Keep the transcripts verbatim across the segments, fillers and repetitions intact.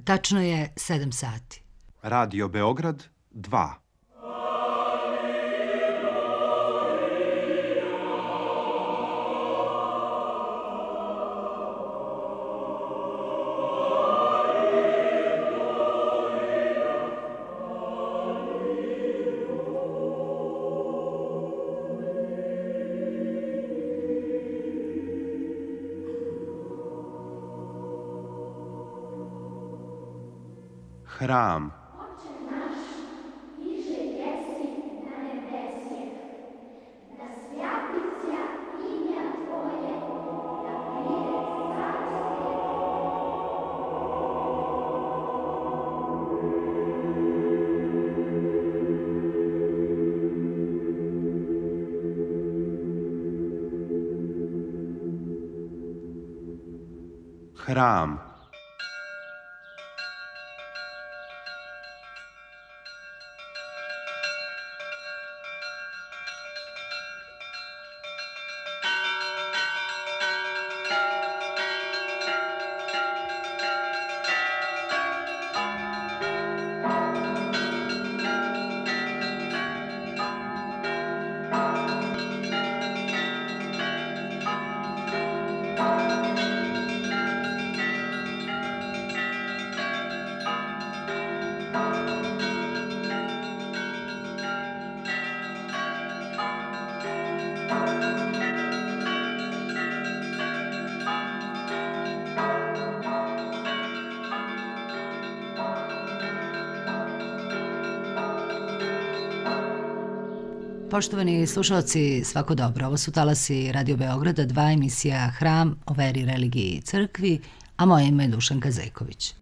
Tačno je sedam sati. Radio Beograd dva. Hram. Hram. Poštovani slušalci, svako dobro. Ovo su talasi Radio Beograda, dva emisija Hram o veri, religiji i crkvi, a moje ime je Dušanka Zejković.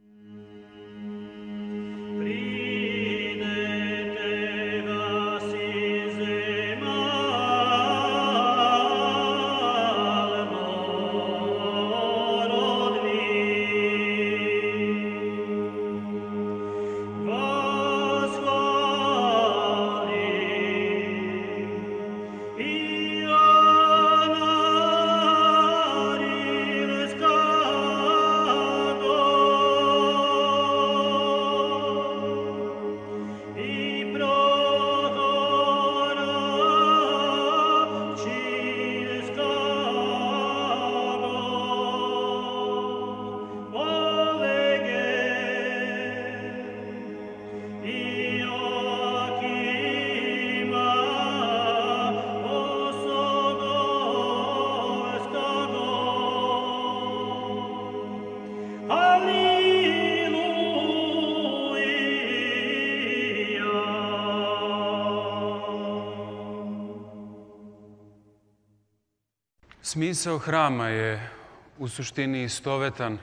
Smisao hrama je u suštini istovetan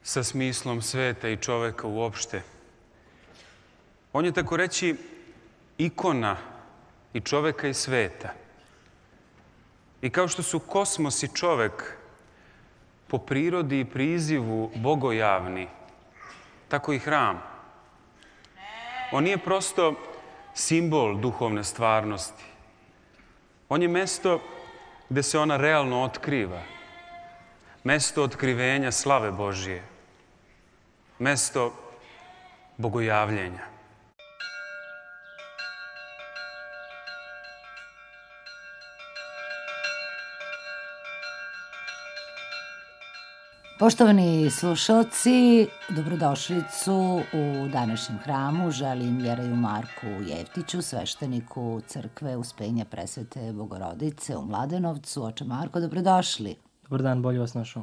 sa smislom sveta i čoveka uopšte. On je, tako reći, ikona i čoveka i sveta. I kao što su kosmos i čovek po prirodi i prizivu bogojavni, tako i hram. On nije prosto simbol duhovne stvarnosti. On je mesto gde se ona realno otkriva. Mesto otkrivenja slave Božije. Mesto bogojavljenja. Poštovani slušalci, dobrodošlicu u današnjem hramu. Želim Jereju Marku Jeftiću, svešteniku crkve Uspenja Presvete Bogorodice u Mladenovcu. Oče Marko, dobrodošli. Dobar dan, bolje vas našao.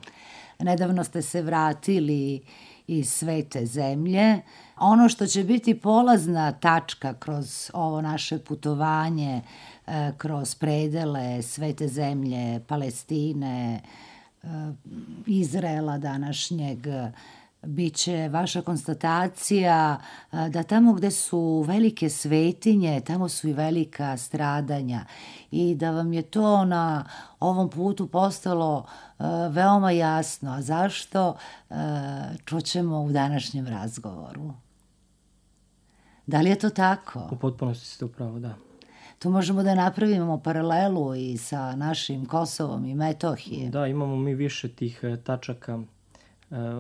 Nedavno ste se vratili iz svete zemlje. Ono što će biti polazna tačka kroz ovo naše putovanje, kroz predele svete zemlje, Palestine, Izraela današnjeg, biće vaša konstatacija da tamo gde su velike svetinje, tamo su i velika stradanja i da vam je to na ovom putu postalo veoma jasno. A zašto? Čućemo u današnjem razgovoru. Da li je to tako? U potpunosti ste upravo, da. Tu možemo da napravimo paralelu i sa našim Kosovom i Metohijom. Da, imamo mi više tih tačaka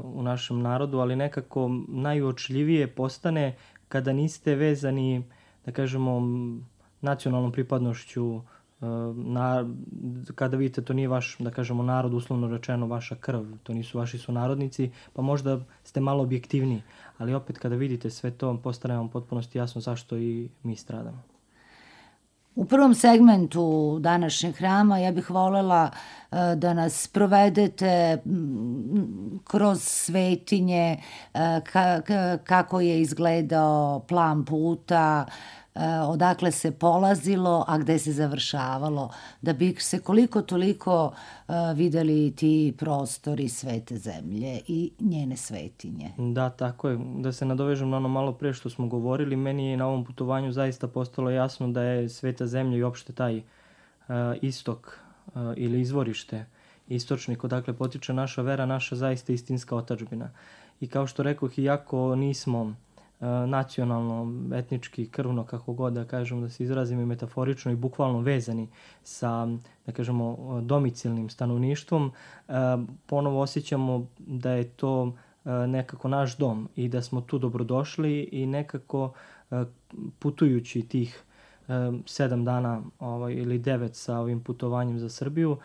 u našem narodu, ali nekako najuočljivije postane kada niste vezani, da kažemo, nacionalnom pripadnošću, na, kada vidite to nije vaš, da kažemo, narod, uslovno rečeno vaša krv, to nisu vaši sunarodnici, pa možda ste malo objektivniji, ali opet kada vidite sve to, postane vam potpunosti jasno zašto i mi stradamo. U prvom segmentu današnjeg hrama ja bih voljela da nas provedete kroz svetinje, kako je izgledao plan puta, odakle se polazilo, a gde se završavalo, da bi se koliko toliko videli ti prostori svete zemlje i njene svetinje. Da, tako je. Da se nadovežem na ono malo pre što smo govorili, meni je na ovom putovanju zaista postalo jasno da je sveta zemlja i opšte taj uh, istok uh, ili izvorište, istočnik odakle potiče naša vera, naša zaista istinska otadžbina. I kao što rekoh, iako nismo nacionalno, etnički, krvno, kako god da kažemo, da se izrazimo i metaforično i bukvalno vezani sa, da kažemo, domicilnim stanovništvom, ponovo osjećamo da je to nekako naš dom i da smo tu dobrodošli i nekako putujući tih sedam dana ovaj, ili devet sa ovim putovanjem za Srbiju,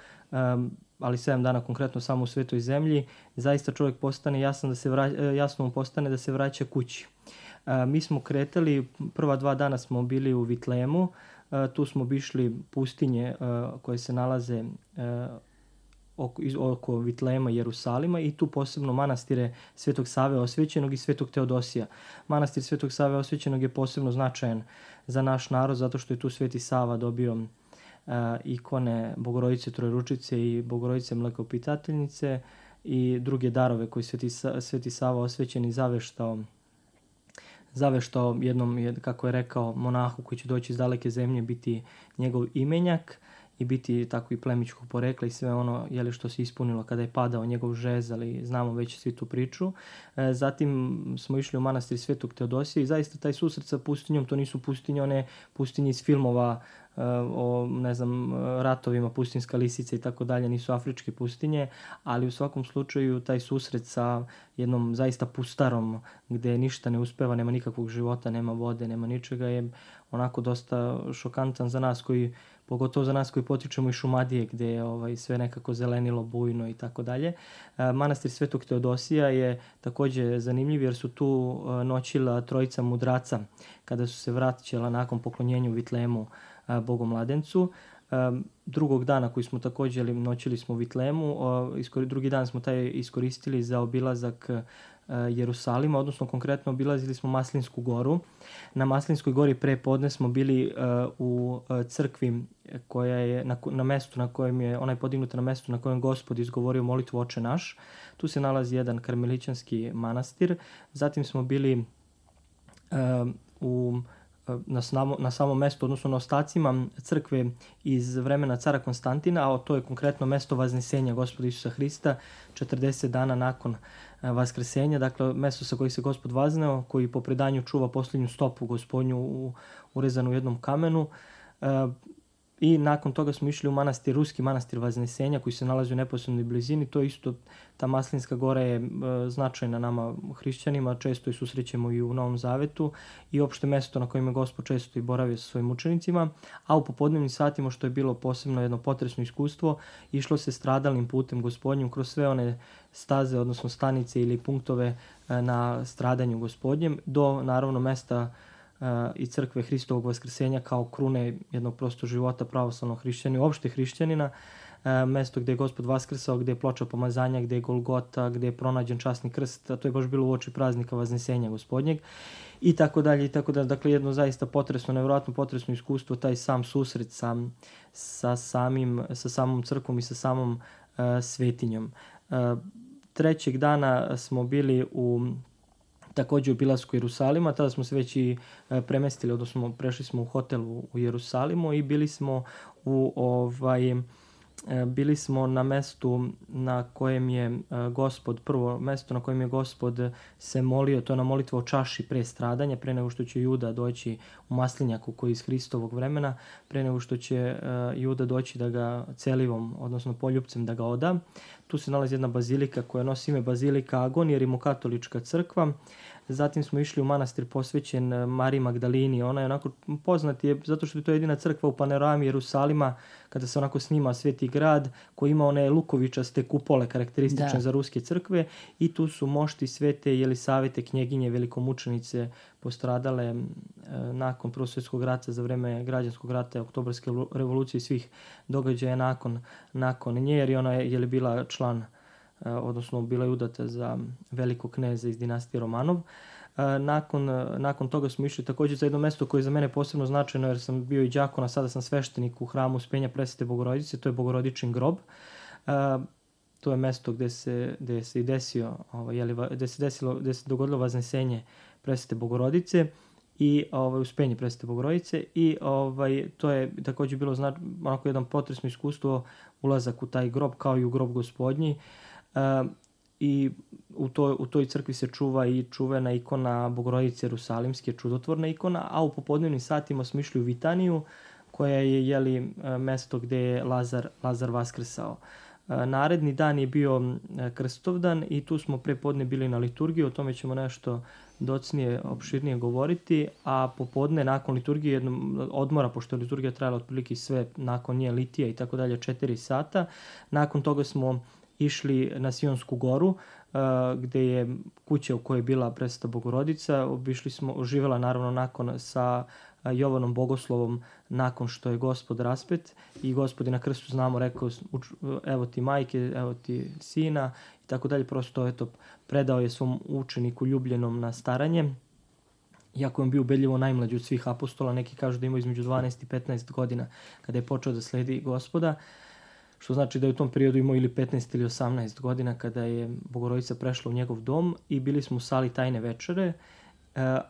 ali sedam dana konkretno samo u Svetoj zemlji, zaista čovjek postane jasno da se vraća, jasno mu postane da se vraća kući. Mi smo kretali, prva dva dana smo bili u Vitlemu, tu smo obišli pustinje koje se nalaze oko, oko Vitlema i Jerusalima i tu posebno manastire Svetog Save Osvećenog i Svetog Teodosija. Manastir Svetog Save Osvećenog je posebno značajan za naš narod zato što je tu Sveti Sava dobio ikone Bogorodice Trojručice i Bogorodice Mlekoopitateljice i druge darove koji Sveti, Sveti Sava Osvećeni zaveštao zaveštao jednom, kako je rekao, monahu koji će doći iz daleke zemlje, biti njegov imenjak i biti tako i plemićkog porekla i sve ono jeli, što se ispunilo kada je padao njegov žez, ali znamo već svi tu priču. E, zatim smo išli u manastir Svetog Teodosija i zaista taj susret sa pustinjom, to nisu pustinje, one pustinje iz filmova o, ne znam, ratovima, pustinska lisica i tako dalje, nisu afričke pustinje, ali u svakom slučaju taj susret sa jednom zaista pustarom gde ništa ne uspeva, nema nikakvog života, nema vode, nema ničega, je onako dosta šokantan za nas koji, pogotovo za nas koji potičemo iz Šumadije gde je ovaj, sve nekako zelenilo, bujno i tako dalje. Manastir Svetog Teodosija je takođe zanimljiv jer su tu noćila trojica mudraca kada su se vraćala nakon poklonjenja u Vitlemu Bogomladencu. Drugog dana koji smo također noćili smo u Vitlemu, drugi dan smo taj iskoristili za obilazak Jerusalima, odnosno konkretno obilazili smo Maslinsku goru. Na Maslinskoj gori pre podne smo bili u crkvi koja je na, na mestu na kojem je, ona je podignuta na mestu na kojem Gospod izgovorio molitvu Oče naš. Tu se nalazi jedan karmelićanski manastir. Zatim smo bili u Na, samo, na samom mestu, odnosno na ostacima crkve iz vremena cara Konstantina, a to je konkretno mesto Vaznesenja Gospoda Isusa Hrista, četrdeset dana nakon Vaskrsenja, dakle mesto sa kojih se Gospod vazneo, koji po predanju čuva posljednju stopu Gospodnju u, urezanu u jednom kamenu. E, I nakon toga smo išli u manastir, ruski manastir Vaznesenja koji se nalazi u neposrednoj blizini. To isto, ta Maslinska gora je e, značajna nama hrišćanima, često je susrećemo i u Novom Zavetu i opšte mesto na kojem je Gospod često i boravio sa svojim učenicima. A u popodnevnim satima, što je bilo posebno jedno potresno iskustvo, išlo se stradalnim putem Gospodnjim kroz sve one staze, odnosno stanice ili punktove e, na stradanju Gospodnjem do naravno mesta i crkve Hristovog Vaskrsenja kao krune jednog prostog života pravoslavnog hrišćanina, uopšte hrišćanina, mesto gde je Gospod vaskrsao, gde je ploča pomazanja, gde je Golgota, gde je pronađen časni krst, a to je baš bilo uoči praznika Vaznesenja Gospodnjeg i tako dalje i tako dalje. Dakle, jedno zaista potresno, nevjerojatno potresno iskustvo, taj sam susret sa, sa, samim, sa samom crkvom i sa samom uh, svetinjom. Uh, trećeg dana smo bili u također u obilasku Jerusalima, tada smo se već i premestili, odnosno prešli smo u hotel u Jerusalimu i bili smo u ovaj bili smo na mestu na kojem je Gospod, prvo mesto na kojem je Gospod se molio, to je na molitvu o čaši pre stradanja, pre nego što će Juda doći u maslinjaku koji je iz Hristovog vremena, pre nego što će Juda doći da ga celivom, odnosno poljupcem da ga oda. tu se nalazi jedna bazilika koja nosi ime Bazilika Agon, jer je katolička crkva. Zatim smo išli u manastir posvećen Mariji Magdalini. Ona je onako poznat je zato što je to jedina crkva u panorami Jerusalima kada se onako snima Sveti grad koji ima one lukovičaste kupole karakteristične da. za ruske crkve i tu su mošti Svete Jelisavete knjeginje velikomučenice postradale e, nakon Prvog svjetskog rata za vreme građanskog rata, Oktobarske revolucije i svih događaja nakon, nakon nje, jer ona je, je li bila član odnosno bila je udata za velikog kneza iz dinastije Romanov. Nakon, nakon toga smo išli također za jedno mesto koje je za mene posebno značajno jer sam bio i đakon, a sada sam sveštenik u hramu Uspenja Presvete Bogorodice, to je Bogorodičin grob. To je mesto gde se, gde se i desio, ovaj, jeli, gde se desilo, gde se dogodilo vaznesenje Presvete Bogorodice i ovaj, Uspenje Presvete Bogorodice i ovaj, to je također bilo znač, onako jedan potresno iskustvo, ulazak u taj grob kao i u grob Gospodnji. Uh, i u toj, u toj crkvi se čuva i čuvena ikona Bogorodice Jerusalimske, čudotvorna ikona, a u popodnevnim satima smo išli u Vitaniju, koja je jeli, mesto gde je Lazar, Lazar vaskrsao. Uh, naredni dan je bio Krstovdan i tu smo pre podne bili na liturgiji, o tome ćemo nešto docnije, opširnije govoriti, a popodne nakon liturgije jednom odmora, pošto je liturgija trajala otprilike sve nakon nje litija i tako dalje, četiri sata. Nakon toga smo išli na Sionsku goru, uh, gde je kuća u kojoj je bila Presveta Bogorodica. Obišli smo, živela naravno nakon sa Jovanom Bogoslovom nakon što je Gospod raspet i Gospod je na krstu, znamo, rekao evo ti majke, evo ti sina i tako dalje. Prosto eto, predao je svom učeniku ljubljenom na staranje. Iako je on bio ubedljivo najmlađi od svih apostola, neki kažu da ima između dvanaest i petnaest godina kada je počeo da sledi Gospoda. Što znači da je u tom periodu imao ili petnaest ili osamnaest godina kada je Bogorodica prešla u njegov dom i bili smo u sali Tajne večere,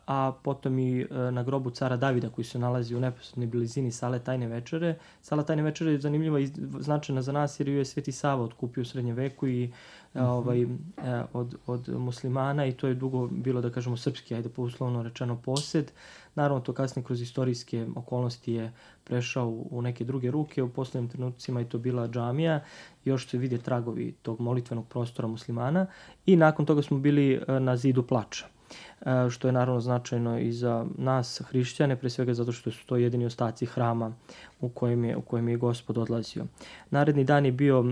a potom i na grobu cara Davida koji se nalazi u neposrednoj blizini sale Tajne večere. Sala Tajne večere je zanimljiva i značajna za nas jer ju je Sveti Sava otkupio u srednjem veku i mm-hmm. ovaj, od, od muslimana i to je dugo bilo, da kažemo, srpski, ajde po uslovno rečeno, posed. Naravno, to kasnije kroz istorijske okolnosti je prešao u neke druge ruke. U poslednjim trenucima je to bila džamija. Još se vide tragovi tog molitvenog prostora muslimana. I nakon toga smo bili na zidu plača, što je naravno značajno i za nas hrišćane, pre svega zato što su to jedini ostaci hrama u kojem je, u kojem je Gospod odlazio. Naredni dan je bio,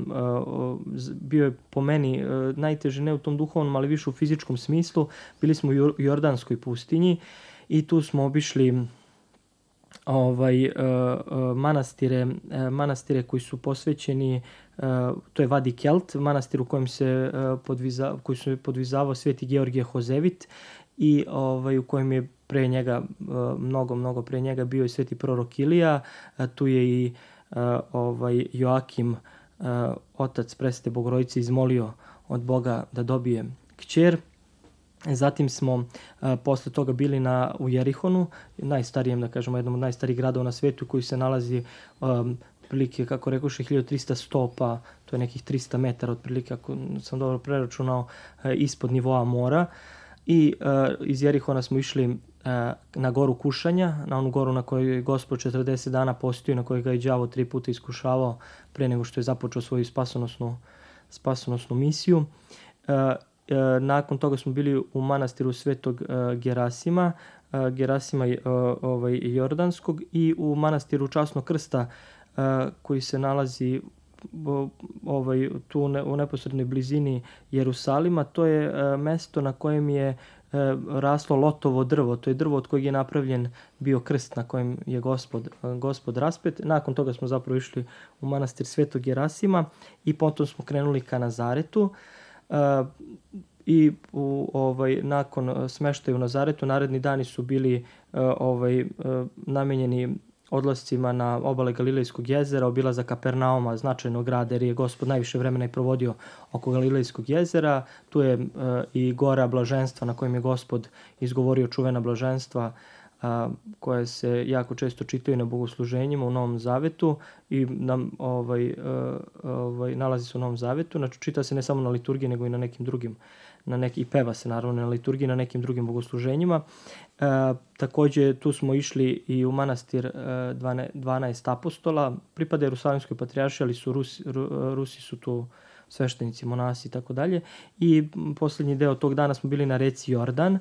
bio je po meni najteže, ne u tom duhovnom, ali više u fizičkom smislu. Bili smo u Jordanskoj pustinji i tu smo obišli ovaj, manastire, manastire koji su posvećeni, to je Vadi Kelt, manastir u kojem se podviza, koji se podvizavao Sveti Georgije Hozevit i ovaj, u kojem je pre njega, mnogo, mnogo pre njega bio i Sveti prorok Ilija. Tu je i ovaj, Joakim, otac Presvete Bogorodice, izmolio od Boga da dobije kćer. Zatim smo uh, posle toga bili na, u Jerihonu, najstarijem, da kažemo, jednom od najstarijih gradova na svetu koji se nalazi um, otprilike, kako rekoše, hiljadu trista stopa, to je nekih trista metara otprilike, ako sam dobro preračunao, uh, ispod nivoa mora. I uh, iz Jerihona smo išli uh, na goru Kušanja, na onu goru na kojoj je Gospod četrdeset dana postio, na kojoj ga je đavo tri puta iskušavao pre nego što je započeo svoju spasonosnu, spasonosnu misiju. Uh, Nakon toga smo bili u manastiru Svetog Gerasima, Gerasima ovaj, Jordanskog i u manastiru Časnog krsta koji se nalazi ovaj, tu u neposrednoj blizini Jerusalima. To je mesto na kojem je raslo lotovo drvo. To je drvo od kojeg je napravljen bio krst na kojem je Gospod, Gospod raspet. Nakon toga smo zapravo išli u manastir Svetog Gerasima i potom smo krenuli ka Nazaretu. Uh, i u, ovaj, nakon smeštaja u Nazaretu naredni dani su bili uh, ovaj, uh, namenjeni odlascima na obale Galilejskog jezera, obilazak Kapernauma, značajnog grada, jer je Gospod najviše vremena i provodio oko Galilejskog jezera. Tu je uh, i gora blaženstva na kojem je Gospod izgovorio čuvena blaženstva a, koje se jako često čitaju na bogosluženjima u Novom Zavetu i nam, ovaj, ovaj, nalazi se u Novom Zavetu. Znači, čita se ne samo na liturgiji, nego i na nekim drugim, na neki, i peva se naravno na liturgiji, na nekim drugim bogosluženjima. E, takođe, tu smo išli i u manastir e, dvanaest apostola. Pripada Jerusalimskoj patrijaršiji, ali su Rusi, Ru, Rusi su tu sveštenici, monasi i tako dalje. I posljednji deo tog dana smo bili na reci Jordan.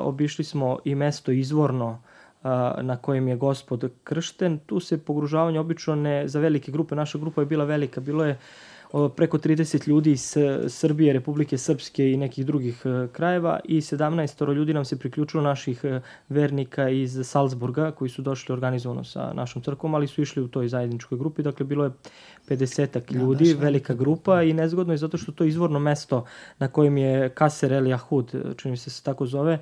Obišli smo i mesto izvorno na kojem je Gospod kršten. Tu se pogružavanje obično ne za velike grupe. Naša grupa je bila velika. Bilo je preko trideset ljudi iz Srbije, Republike Srpske i nekih drugih krajeva i sedamnaestoro ljudi nam se priključilo, naših vernika iz Salzburga koji su došli organizovano sa našom crkvom, ali su išli u toj zajedničkoj grupi. Dakle, bilo je pedesetak ljudi, da, velika grupa i nezgodno je zato što to izvorno mesto na kojem je Kaser El Jahud, čini se se tako zove,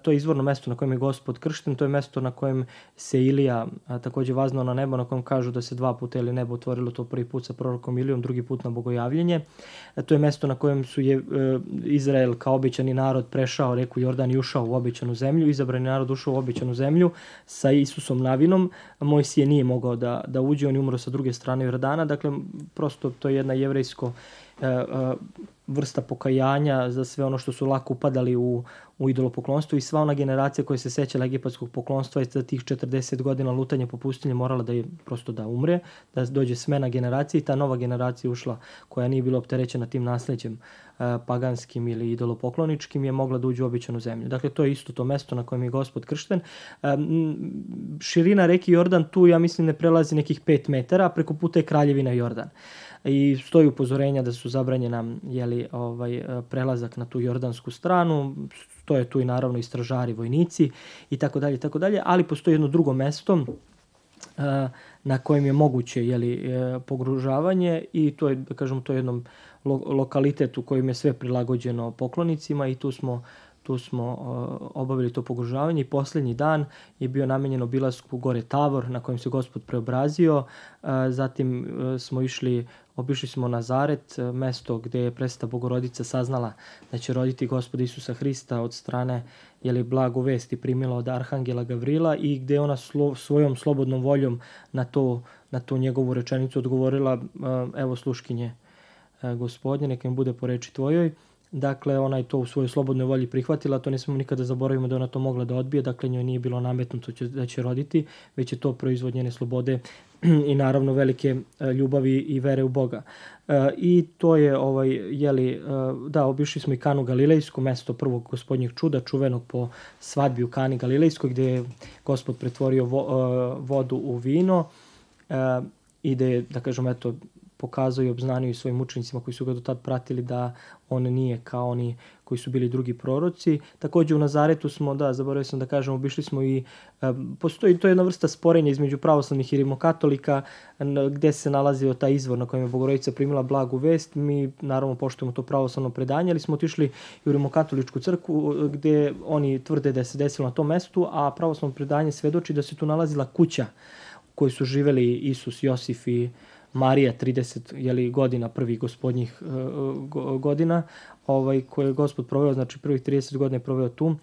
to je izvorno mesto na kojem je Gospod kršten, to je mesto na kojem se Ilija takođe vaznao na nebo, na kojem kažu da se dva puta ili nebo otvorilo, to prvi put sa prorokom Ilijom, drugi put na bogojavljenje. To je mesto na kojem su je Izrael kao obećani narod prešao reku Jordan i ušao u obećanu zemlju, izabrani narod ušao u obećanu zemlju sa Isusom navinom. Mojsije nije mogao da, da uđe, on je umro sa druge strane Jordana, dakle prosto to je jedna jevrejsko vrsta pokajanja za sve ono što su lako upadali u, u idolopoklonstvo i sva ona generacija koja se sećala egipatskog poklonstva i za tih četrdeset godina lutanja po pustinji morala da je prosto da umre, da dođe smena generacije i ta nova generacija ušla koja nije bila opterećena tim nasleđem paganskim ili idolopokloničkim je mogla da uđe u obećanu zemlju. Dakle, to je isto to mesto na kojem je Gospod kršten. Širina reke Jordan tu, ja mislim, ne prelazi nekih pet metara, a preko puta je kraljevina Jordan. I stoji upozorenja da su zabranjena jeli, ovaj, prelazak na tu jordansku stranu, stoje tu i naravno i stražari, vojnici i tako dalje, tako dalje, ali postoji jedno drugo mesto na kojem je moguće jeli, pogružavanje i to je, da kažemo, to je jednom lo- lokalitet u kojem je sve prilagođeno poklonicima i tu smo Tu smo uh, obavili to pogružavanje i posljednji dan je bio namenjen obilasku gore Tavor na kojem se Gospod preobrazio. Uh, zatim uh, smo išli, obišli smo Nazaret, uh, mesto gdje je presveta Bogorodica saznala da će roditi Gospoda Isusa Hrista od strane jeli, blagu vesti primila od Arhangela Gavrila i gdje je ona slo, svojom slobodnom voljom na, to, na tu njegovu rečenicu odgovorila uh, evo sluškinje uh, Gospodnje, neka im bude po reči tvojoj. Dakle, ona je to u svojoj slobodnoj volji prihvatila, to ne smemo nikada zaboravimo da ona to mogla da odbije, dakle njoj nije bilo nametnuto da će roditi, već je to proizvod njene slobode i naravno velike ljubavi i vere u Boga. I to je, ovaj, jeli, da, obišli smo i Kanu Galilejsku, mesto prvog Gospodnjeg čuda, čuvenog po svadbi u Kani Galilejskoj, gdje je Gospod pretvorio vo, vodu u vino i da je, da kažem, eto, pokazao i obznanio svojim učenicima koji su ga do tad pratili da on nije kao oni koji su bili drugi proroci. Također u Nazaretu smo, da, zaboravio sam da kažem, obišli smo i, e, postoji to jedna vrsta sporenja između pravoslavnih i rimokatolika gdje se nalazio taj izvor na kojem je Bogorodica primila blagu vest. Mi naravno poštujemo to pravoslavno predanje, ali smo otišli i u rimokatoličku crkvu gdje oni tvrde da se desilo na tom mestu, a pravoslavno predanje svedoči da se tu nalazila kuća u kojoj su živeli Isus, Josif i Marija, trideset jeli, godina, prvih gospodnjih uh, godina, ovaj, koje je Gospod proveo, znači prvih trideset godina je proveo tu. Uh,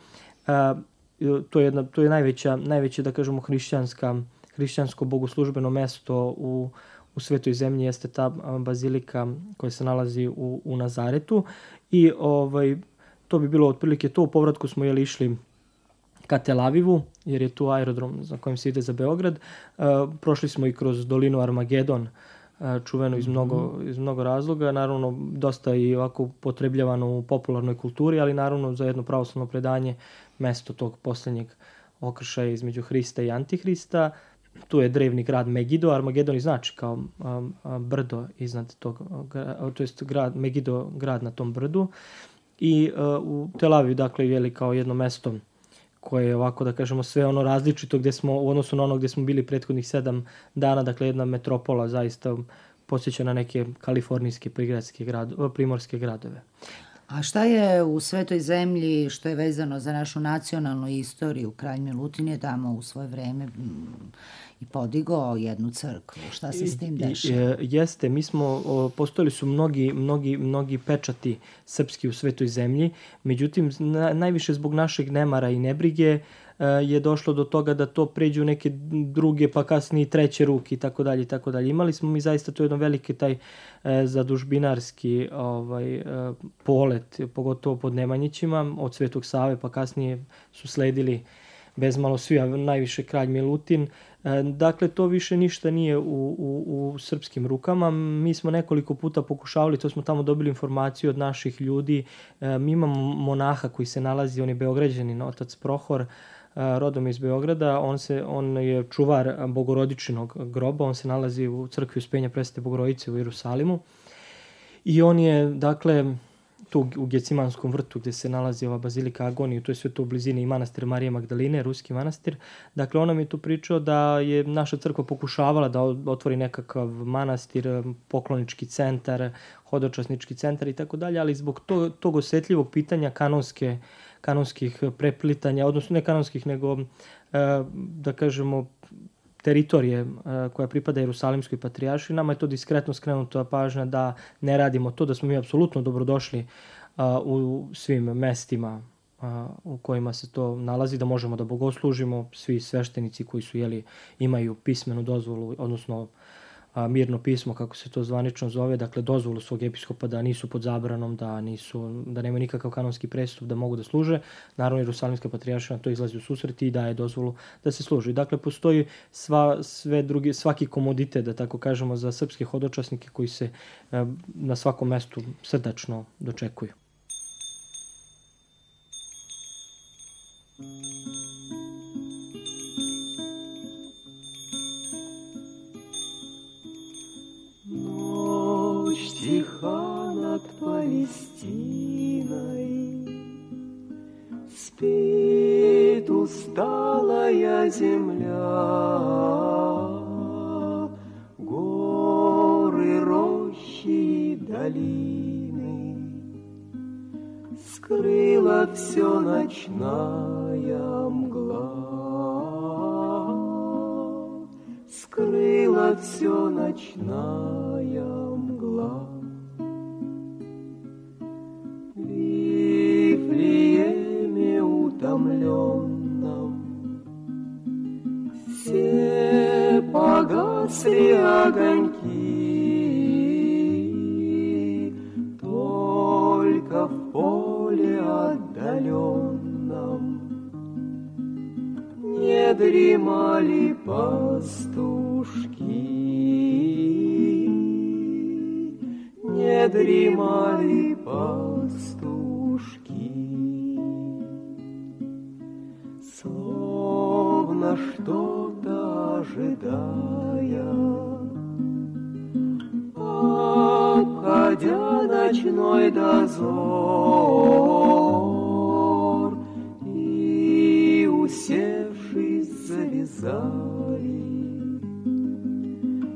to je, jedna, to je najveća, najveće, da kažemo, hrišćanska, hrišćansko bogoslužbeno mesto u, u svetoj zemlji, jeste ta bazilika koja se nalazi u, u Nazaretu. I ovaj, to bi bilo otprilike to. U povratku smo jeli, išli ka Tel Avivu, jer je tu aerodrom za kojim se ide za Beograd. Uh, prošli smo i kroz dolinu Armagedon, čuveno iz mnogo, iz mnogo razloga, naravno dosta i ovako potrebljavano u popularnoj kulturi, ali naravno za jedno pravoslavno predanje mesto tog posljednjeg okršaja između Hrista i Antihrista. Tu je drevni grad Megido, Armagedon i znači kao a, a, brdo iznad tog, a, to jest grad, Megido grad na tom brdu. I a, u Tel Avivu, dakle, je kao jedno mesto koje je ovako, da kažemo, sve ono različito gdje smo, u odnosu na ono gdje smo bili prethodnih sedam dana, dakle jedna metropola zaista podsjeća na neke kalifornijske prigradske grad, primorske gradove. A šta je u Svetoj zemlji što je vezano za našu nacionalnu istoriju? Kralj Milutin je tamo u svoje vreme i podigao jednu crkvu. Šta se s tim dešava? Jeste, mi smo, postojali su mnogi, mnogi, mnogi pečati srpski u Svetoj zemlji, međutim, najviše zbog našeg nemara i nebrige je došlo do toga da to pređe u neke druge, pa kasnije treće ruke i tako dalje i tako dalje. Imali smo mi zaista to jedno veliki taj e, zadužbinarski ovaj, e, polet, pogotovo pod Nemanjićima, od Svetog Save, pa kasnije su sledili bezmalo svi, a najviše kralj Milutin. Dakle, to više ništa nije u, u, u srpskim rukama. Mi smo nekoliko puta pokušavali, to smo tamo dobili informaciju od naših ljudi. Mi imamo monaha koji se nalazi, on je Beograđanin, otac Prohor, rodom iz Beograda. On, se, on je čuvar Bogorodičinog groba, on se nalazi u crkvi Uspenja Presvete Bogorodice u Jerusalimu. I on je, dakle, tu u Gecimanskom vrtu gde se nalazi ova bazilika Agoniju, to je sve to u blizini i manastir Marije Magdaline, ruski manastir. Dakle, on nam je tu pričao da je naša crkva pokušavala da otvori nekakav manastir, poklonički centar, hodočasnički centar i tako dalje, ali zbog tog, tog osetljivog pitanja kanonske, kanonskih preplitanja, odnosno ne kanonskih, nego, da kažemo, teritorije koja pripada Jerusalimskoj patrijaršiji, nama je to diskretno skrenuta pažnja da ne radimo to, da smo mi apsolutno dobrodošli u svim mestima u kojima se to nalazi, da možemo da bogoslužimo, svi sveštenici koji su, jeli, imaju pismenu dozvolu, odnosno mirno pismo, kako se to zvanično zove, dakle dozvolu svog episkopa da nisu pod zabranom, da nisu, da nemaju nikakav kanonski prestup, da mogu da služe. Naravno, Jerusalimska patrijaršija na to izlazi u susret i daje dozvolu da se služi. Dakle, postoji sva, sve drugi, svaki komoditet, da tako kažemo, za srpske hodočasnike koji se na svakom mestu srdačno dočekuju. Тиха над Палестиной, спит усталая земля, горы, рощи и долины, скрыла все ночная мгла, скрыла все ночная мгла. Утомленном все погасли огоньки, только в поле отдаленном не дремали пастушки, не дремали пастушки. Словно что-то ожидая, обходя ночной дозор, и, усевшись, завязали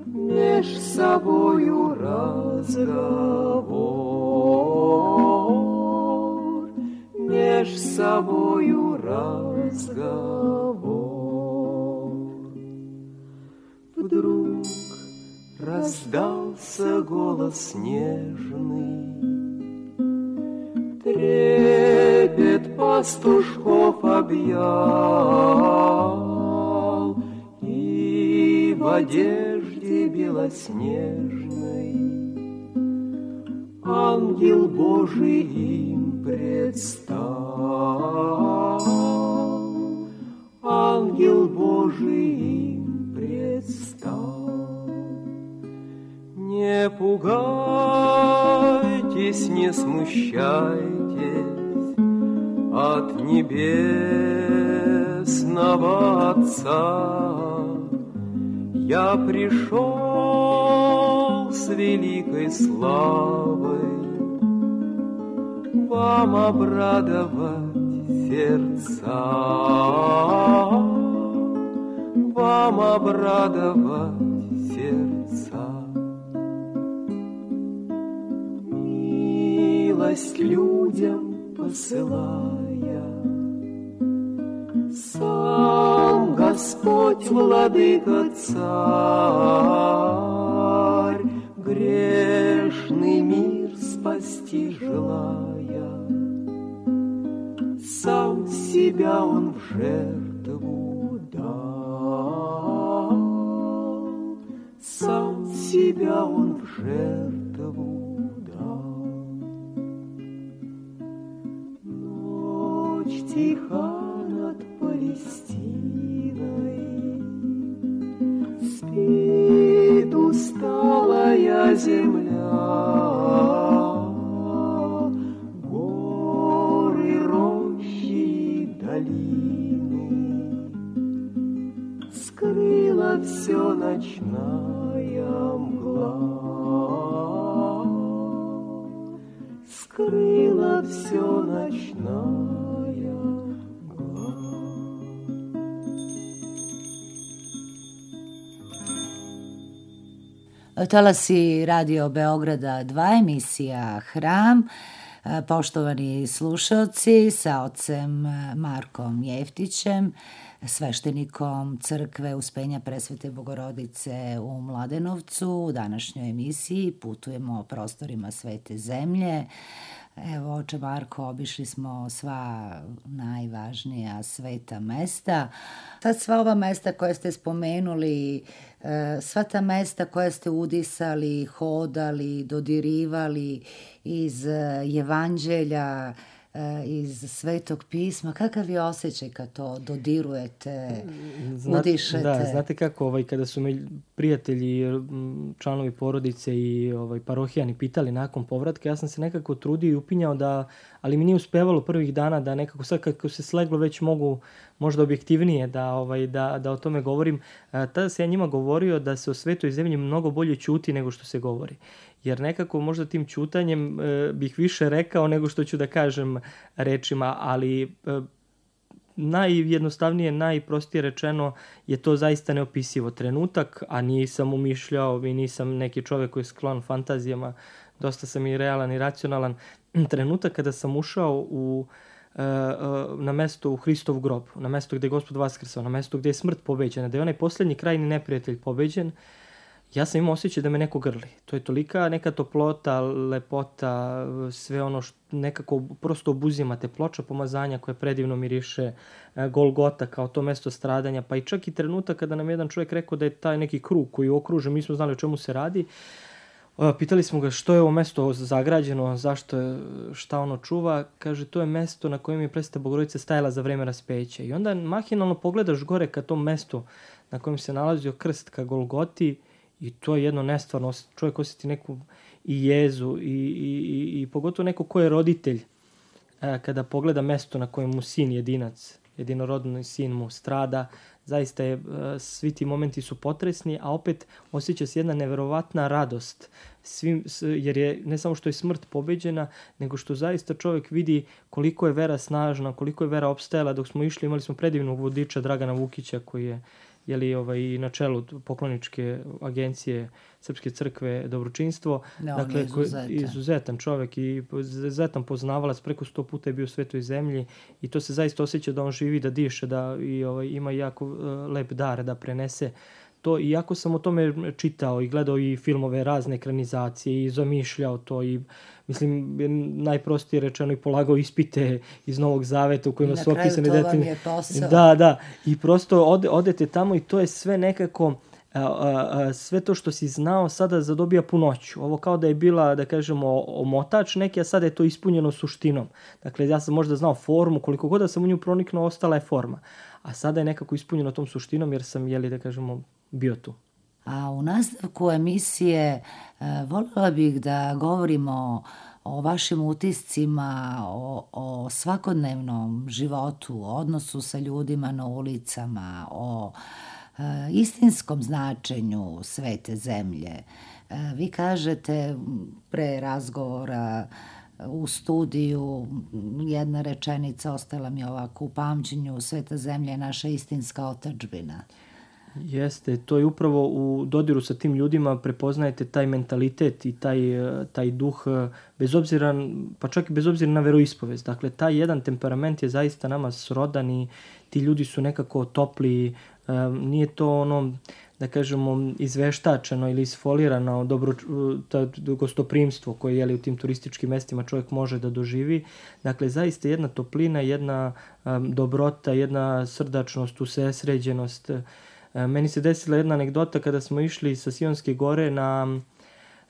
меж собою разговор, меж собою разговор. Вдруг раздался голос нежный, трепет пастушков объял, и в одежде белоснежной ангел Божий им предстал, ангел Божий им предстал. Не пугайтесь, не смущайтесь от небесного Отца. Я пришел с великой славой вам обрадовать сердца, вам обрадовать сердца. Милость людям посылая, сам Господь владыка царь, грешный мир спасти желая, сам себя он в жертву дал, сам себя он в жертву дал. Ночь тиха над полем, Палестиной. Спит усталая земля, горы, рощи, долины. Скрыла все ночная мгла, скрыла все ночная мгла. Talasi Radio Beograda dva, emisija Hram. Poštovani slušalci, sa ocem Markom Jeftićem, sveštenikom crkve Uspenja Presvete Bogorodice u Mladenovcu, u današnjoj emisiji putujemo prostorima Svete zemlje. Evo, oče Marko, obišli smo sva najvažnija sveta mesta. Sad sva ova mesta koje ste spomenuli, sva ta mesta koja ste udisali, hodali, dodirivali iz Evanđelja, iz Svetog pisma, kakav je osjećaj kad to dodirujete, Znate, udišete? Da, znate kako, ovaj, kada su me prijatelji, članovi porodice i ovaj, parohijani pitali nakon povratka, ja sam se nekako trudio i upinjao da, ali mi nije uspevalo prvih dana da nekako sad kako se sleglo već mogu možda objektivnije da, ovaj, da, da o tome govorim. Tada se ja njima govorio da se o Svetoj zemlji mnogo bolje ćuti nego što se govori. Jer nekako možda tim ćutanjem e, bih više rekao nego što ću da kažem rečima, ali e, najjednostavnije, najprostije rečeno je to zaista neopisivo. Trenutak, a nisam umišljao i nisam neki čovjek koji je sklon fantazijama, dosta sam i realan i racionalan. Trenutak kada sam ušao u, e, e, na mesto u Hristov grob, na mesto gdje je Gospod vaskrsao, na mesto gdje je smrt pobeđena, da je onaj posljednji krajni neprijatelj pobeđen, ja sam imao osjećaj da me neko grli. To je tolika neka toplota, lepota, sve ono što nekako prosto obuzimate, ploča pomazanja koja predivno miriše, Golgota kao to mesto stradanja, pa i čak i trenutak kada nam jedan čovjek rekao da je taj neki krug koji je okružen, mi smo znali o čemu se radi. Pitali smo ga što je ovo mesto zagrađeno, zašto je, šta ono čuva. Kaže, to je mesto na kojem je Presveta Bogorodica stajala za vreme raspeća. I onda mahinalno pogledaš gore ka tom mestu na kojem se nalazio krst, ka Golgoti, i to je jedno nestvarno, čovjek osjeti neku i jezu i, i, i, i pogotovo neko ko je roditelj e, kada pogleda mesto na kojem mu sin jedinac, jedinorodni sin mu strada, zaista je, e, svi ti momenti su potresni, a opet osjeća se jedna neverovatna radost, svim, jer je ne samo što je smrt pobeđena, nego što zaista čovjek vidi koliko je vera snažna, koliko je vera opstajala. Dok smo išli, imali smo predivnog vodiča Dragana Vukića koji je je li ovaj na čelu pokloničke agencije Srpske crkve Dobročinstvo, no, dakle izuzetan. izuzetan čovjek i izuzetan poznavalac, preko sto puta je bio u Svetoj zemlji i to se zaista osjeća da on živi, da diše, da i ovaj ima jako uh, lep dar da prenese to. Iako sam o tome čitao i gledao i filmove, razne ekranizacije i zamišljao to i mislim, najprostije rečeno i polagao ispite iz Novog Zaveta u kojima su opisane detaljne. detaljne. Na kraju to vam je posao. Da, da. I prosto ode, odete tamo i to je sve nekako, a, a, a, sve to što si znao sada zadobija punoću. Ovo kao da je bila, da kažemo, omotač neki, a sada je to ispunjeno suštinom. Dakle, ja sam možda znao formu, koliko god da sam u nju proniknuo, ostala je forma. A sada je nekako ispunjeno tom suštinom jer sam, jeli, da kažemo, bio tu. A u nastavku emisije voljela bih da govorimo o vašim utiscima, o, o svakodnevnom životu, o odnosu sa ljudima na ulicama, o e, istinskom značenju Svete zemlje. E, vi kažete pre razgovora u studiju, jedna rečenica ostala mi ovako u pamćenju, Sveta zemlja je naša istinska otadžbina. Jeste, to je upravo u dodiru sa tim ljudima prepoznajete taj mentalitet i taj, taj duh, bez obzira, pa čak i bez obzira na veroispovest. Dakle, taj jedan temperament je zaista nama srodan i ti ljudi su nekako topli, nije to ono, da kažemo, izveštačeno ili isfolirano dobro, ta, gostoprimstvo koje je li, u tim turističkim mestima čovjek može da doživi. Dakle, zaista jedna toplina, jedna um, dobrota, jedna srdačnost, usresređenost. Meni se desila jedna anegdota kada smo išli sa Sionske gore na,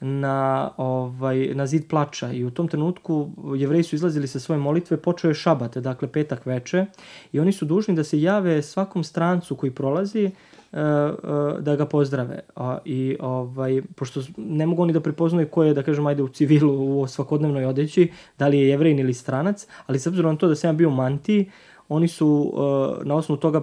na, ovaj, na zid plača i u tom trenutku Jevreji su izlazili sa svoje molitve, počeo je šabat, dakle petak veče, i oni su dužni da se jave svakom strancu koji prolazi da ga pozdrave. A, i ovaj, pošto ne mogu oni da prepoznaju ko je, da kažem, ajde u civilu, u svakodnevnoj odeći, da li je Jevrein ili stranac, ali s obzirom na to da sam ja bio u mantiji, oni su uh, na osnovu toga,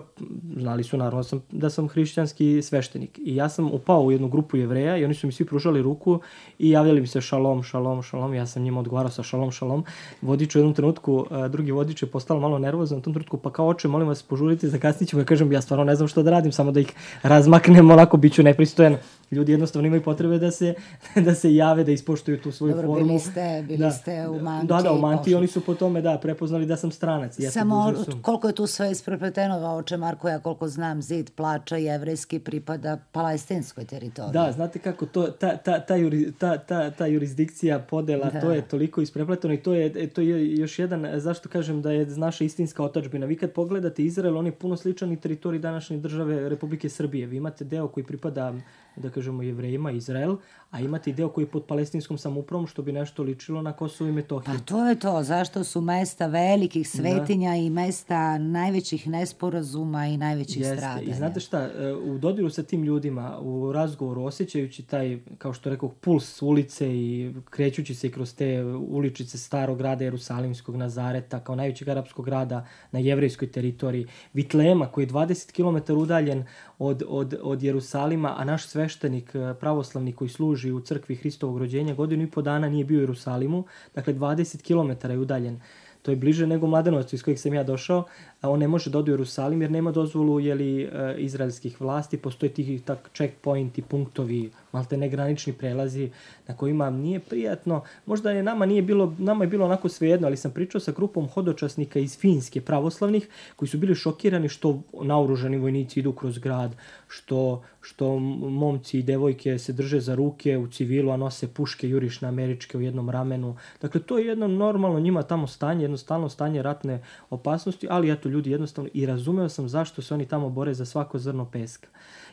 znali su naravno sam, da sam hrišćanski sveštenik. I ja sam upao u jednu grupu Jevreja i oni su mi svi pružali ruku i javljali mi se šalom, šalom, šalom. Ja sam njima odgovarao sa šalom, šalom. Vodič u jednom trenutku, uh, drugi vodič je postao malo nervozan u tom trenutku, pa kao oče, molim vas, požurite, zakasnit ćemo. Ja kažem, ja stvarno ne znam što da radim, samo da ih razmaknem, onako bit ću nepristojan. Ljudi jednostavno imaju potrebe da se, da se jave, da ispoštuju tu svoju Dobro, formu. bili ste, bili da. ste u mantiji. Da, da, u mantiji oni su po tome, da, prepoznali da sam stranac. Ja Samo koliko je tu sve isprepleteno, oče Marko, ja koliko znam, zid plača jevrejski pripada palestinskoj teritoriji. Da, znate kako, to, ta, ta, ta, juri, ta, ta, ta jurisdikcija, podela, da. To je toliko isprepleteno i to je, to je još jedan, zašto kažem da je naša istinska otadžbina. Vi kad pogledate Izrael, on je puno sličan i teritoriji današnje države Republike Srbije. Vi imate deo koji pripada, da kažemo, Jevrejima, Izrael, a imate i deo koji je pod palestinskom samoupravom, što bi nešto ličilo na Kosovo i Metohiju. Pa to je to, zašto su mesta velikih svetinja da. I mesta najvećih nesporazuma i najvećih Jeste. Stradanja. I znate šta, u dodiru sa tim ljudima, u razgovoru, osjećajući taj, kao što rekao, puls ulice i krećući se kroz te uličice starog grada Jerusalimskog, Nazareta, kao najvećeg arapskog grada na jevrejskoj teritoriji, Vitlema, koji je dvadeset kilometara udaljen od, od, od Jerusalima, a naš sveštenik pravoslavni koji služi u crkvi Hristovog rođenja godinu i po dana nije bio u Jerusalimu, dakle dvadeset kilometara je udaljen. To je bliže nego Mladenovcu iz kojeg sam ja došao, a on ne može da ode u Jerusalim jer nema dozvolu jeli, izraelskih vlasti, postoje tih tak checkpointi, punktovi, malte negranični prelazi na kojima nije prijatno. Možda je nama nije bilo, nama je bilo onako svejedno, ali sam pričao sa grupom hodočasnika iz Finske pravoslavnih koji su bili šokirani što naoružani vojnici idu kroz grad, što, što momci i devojke se drže za ruke u civilu, a nose puške jurišne američke u jednom ramenu. Dakle, to je jedno normalno njima tamo stanje, jednostavno stanje ratne opasnosti, ali eto ljudi jednostavno i razumeo sam zašto se oni tamo bore za svako zrno peska.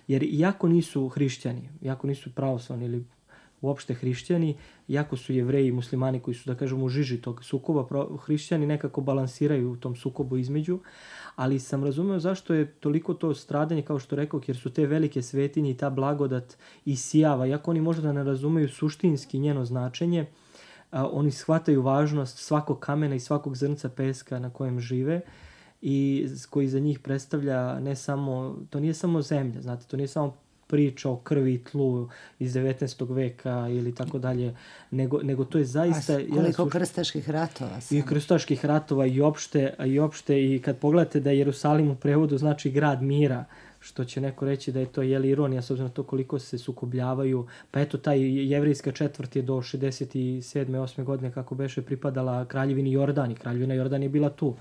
Jer iako nisu hrišćani, iako nisu pravoslavni ili uopšte hrišćani, iako su Jevreji i muslimani koji su, da kažemo, u žiži tog sukoba, hrišćani nekako balansiraju u tom sukobu između, ali sam razumeo zašto je toliko to stradanje, kao što rekao, jer su te velike svetinje i ta blagodat isijava, iako oni možda ne razumeju suštinski njeno značenje, a, oni shvataju važnost svakog kamena i svakog zrnca peska na kojem žive, i koji za njih predstavlja ne samo, to nije samo zemlja, znate, to nije samo priča o krvi i tlu iz devetnaestog veka ili tako dalje, nego, nego to je zaista... A koliko suš... krstaških ratova sam. I krstaških ratova i opšte, i opšte, i kad pogledate da Jerusalim u prevodu znači grad mira, što će neko reći da je to jeli ironija s obzirom na to koliko se sukobljavaju, pa eto taj jevrejska četvrt je do šezdeset sedme osme godine kako beše pripadala kraljevini Jordan i kraljevina Jordan je bila tu.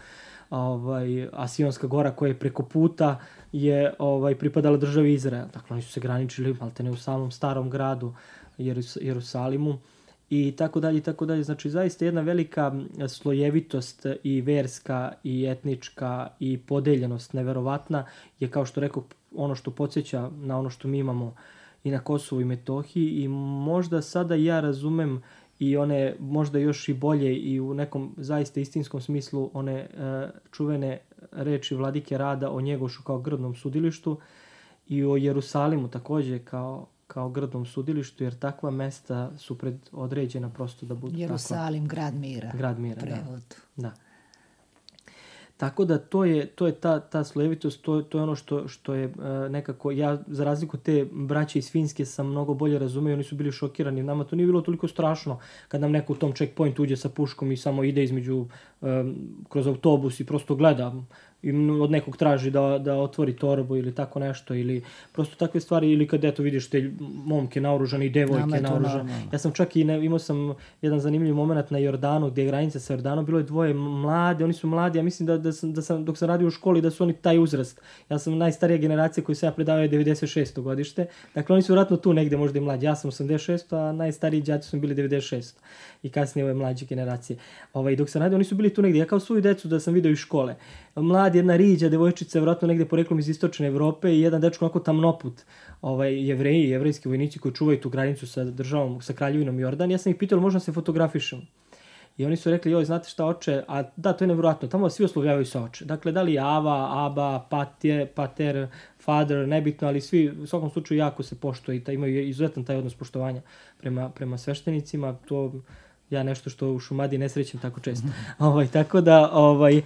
Ovaj, a Sionska gora koja je preko puta je ovaj, pripadala državi Izrael. Dakle, oni su se graničili maltene u samom starom gradu Jerus- Jerusalimu i tako dalje i tako dalje. Znači, zaista jedna velika slojevitost i verska i etnička i podeljenost neverovatna je, kao što rekao, ono što podsjeća na ono što mi imamo i na Kosovu i Metohiji i možda sada ja razumem i one možda još i bolje i u nekom zaista istinskom smislu one e, čuvene reči Vladike Rada o Njegošu kao grdnom sudilištu i o Jerusalimu također kao, kao grdnom sudilištu, jer takva mesta su predodređena prosto da budu Jerusalim, takva. grad mira. Grad mira, prevod. da. da. Tako da to je, to je ta, ta slojevitost, to, to je ono što, što je uh, nekako, ja za razliku te braće iz Finske sam mnogo bolje razumio, oni su bili šokirani, nama to nije bilo toliko strašno kad nam neko u tom checkpointu uđe sa puškom i samo ide između, um, kroz autobus i prosto gleda i od nekog traži da, da otvori torbu ili tako nešto, ili prosto takve stvari, ili kad eto vidiš te momke naoružane i devojke naoružane. Ja sam čak i ne, imao sam jedan zanimljiv moment na Jordanu, gdje je granica sa Jordanom, bilo je dvoje mlade, oni su mladi, ja mislim da, da, sam, da sam, dok sam radio u školi, da su oni taj uzrast. Ja sam najstarija generacija koju sam ja predavao je devedeset šesto godište, dakle oni su vjerojatno tu negdje možda i mlađi. Ja sam osamdeset šesto, a najstariji đaci su bili devedeset šesto i kasnije ove mlađe generacije. Ovaj, dok sam radio, oni su bili tu negdje. Ja kao svoju decu da sam vidio iz škole. Mladi mlad, jedna riđa, devojčica, vjerojatno negdje poreklom iz istočne Evrope i jedan dečko onako tamnoput, ovaj, jevreji, jevrejski vojnici koji čuvaju tu granicu sa državom, sa kraljevinom Jordan. Ja sam ih pitao, možda se fotografišem? I oni su rekli, joj, znate šta, oče, a da, to je nevjerojatno, tamo svi oslovljavaju se oče. Dakle, da li Ava, Aba, Patje, Pater, Father, nebitno, ali svi u svakom slučaju jako se poštuje i taj, imaju izuzetan taj odnos poštovanja prema, prema sveštenicima. To ja nešto što u Šumadiji ne srećem tako često. ovaj, tako da, ovaj, e,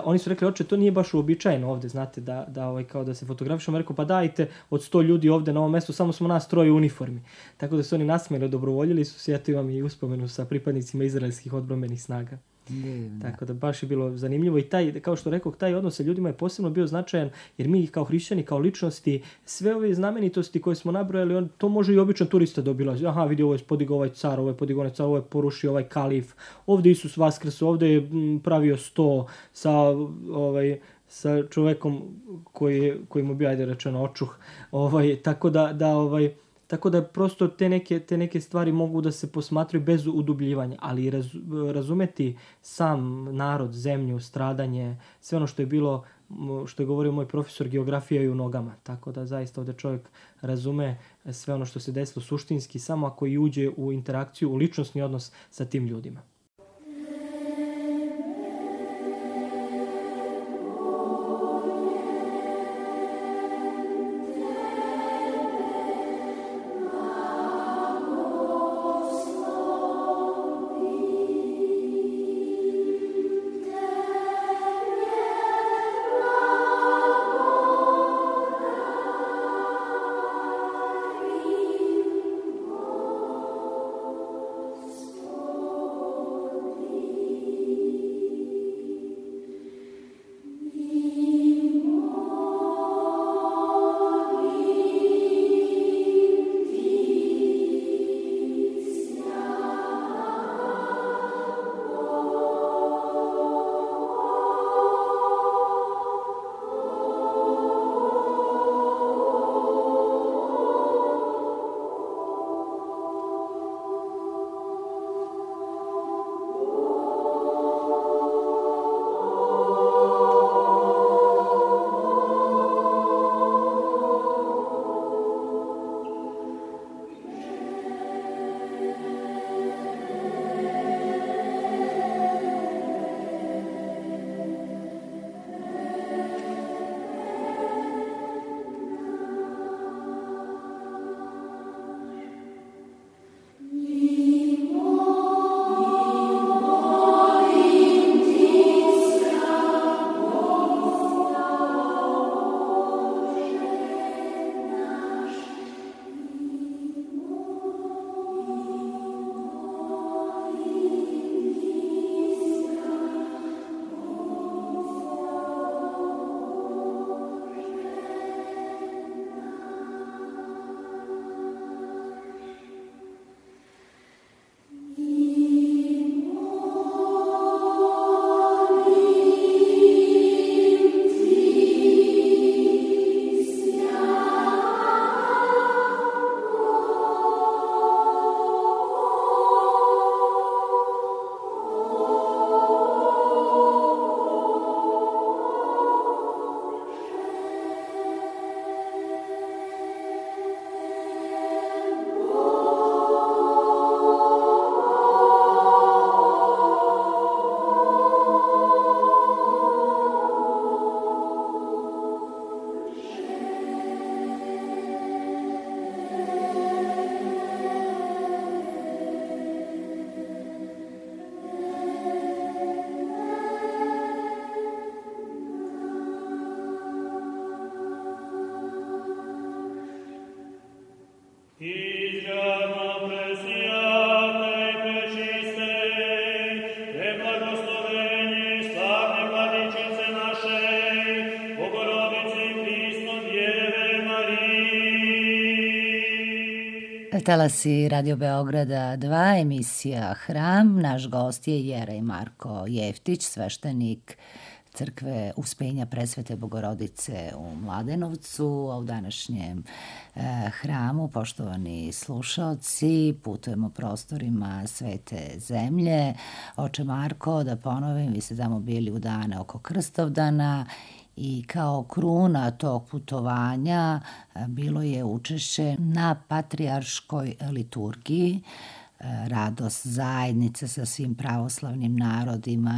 oni su rekli, oče, to nije baš uobičajeno ovde, znate, da, da, ovaj, kao da se fotografišemo. Rekao, pa dajte, od sto ljudi ovde na ovom mestu, samo smo nas troje u uniformi. Tako da su oni nasmejali, dobrovoljili su se, eto imam i uspomenu sa pripadnicima izraelskih odbrambenih snaga. Divno. Tako da baš je bilo zanimljivo i taj, kao što rekao, taj odnos sa ljudima je posebno bio značajan, jer mi kao hrišćani, kao ličnosti, sve ove znamenitosti koje smo nabrojali, on, to može i običan turista da obilazi. Aha, vidi, ovo je podigao ovaj car, ovo je podigao ovaj car, ovo je porušio ovaj kalif, ovde Isus vaskrso, ovde je pravio sto sa, ovaj, sa čovekom koji, koji mu bio, ajde rečeno, očuh. Ovaj, tako da, da ovaj, Tako da prosto te neke, te neke stvari mogu da se posmatraju bez udubljivanja, ali raz, razumeti sam narod, zemlju, stradanje, sve ono što je bilo, što je govorio moj profesor, geografija je u nogama. Tako da zaista ovdje čovjek razume sve ono što se desilo suštinski, samo ako i uđe u interakciju, u ličnosni odnos sa tim ljudima. Talasi Radio Beograda dva, emisija Hram. Naš gost je Jerej Marko Jeftić, sveštenik crkve Uspenja Presvete Bogorodice u Mladenovcu, a u današnjem e, hramu, poštovani slušaoci, putujemo prostorima Svete zemlje. Oče Marko, da ponovim, vi ste tamo bili u dane oko Krstovdana i kao kruna tog putovanja bilo je učešće na patrijarškoj liturgiji, radost zajednice sa svim pravoslavnim narodima,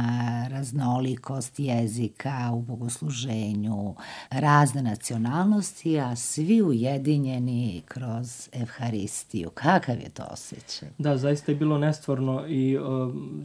raznolikost jezika u bogosluženju, razne nacionalnosti, a svi ujedinjeni kroz Evharistiju. Kakav je to osjećaj? Da, zaista je bilo nestvarno i uh,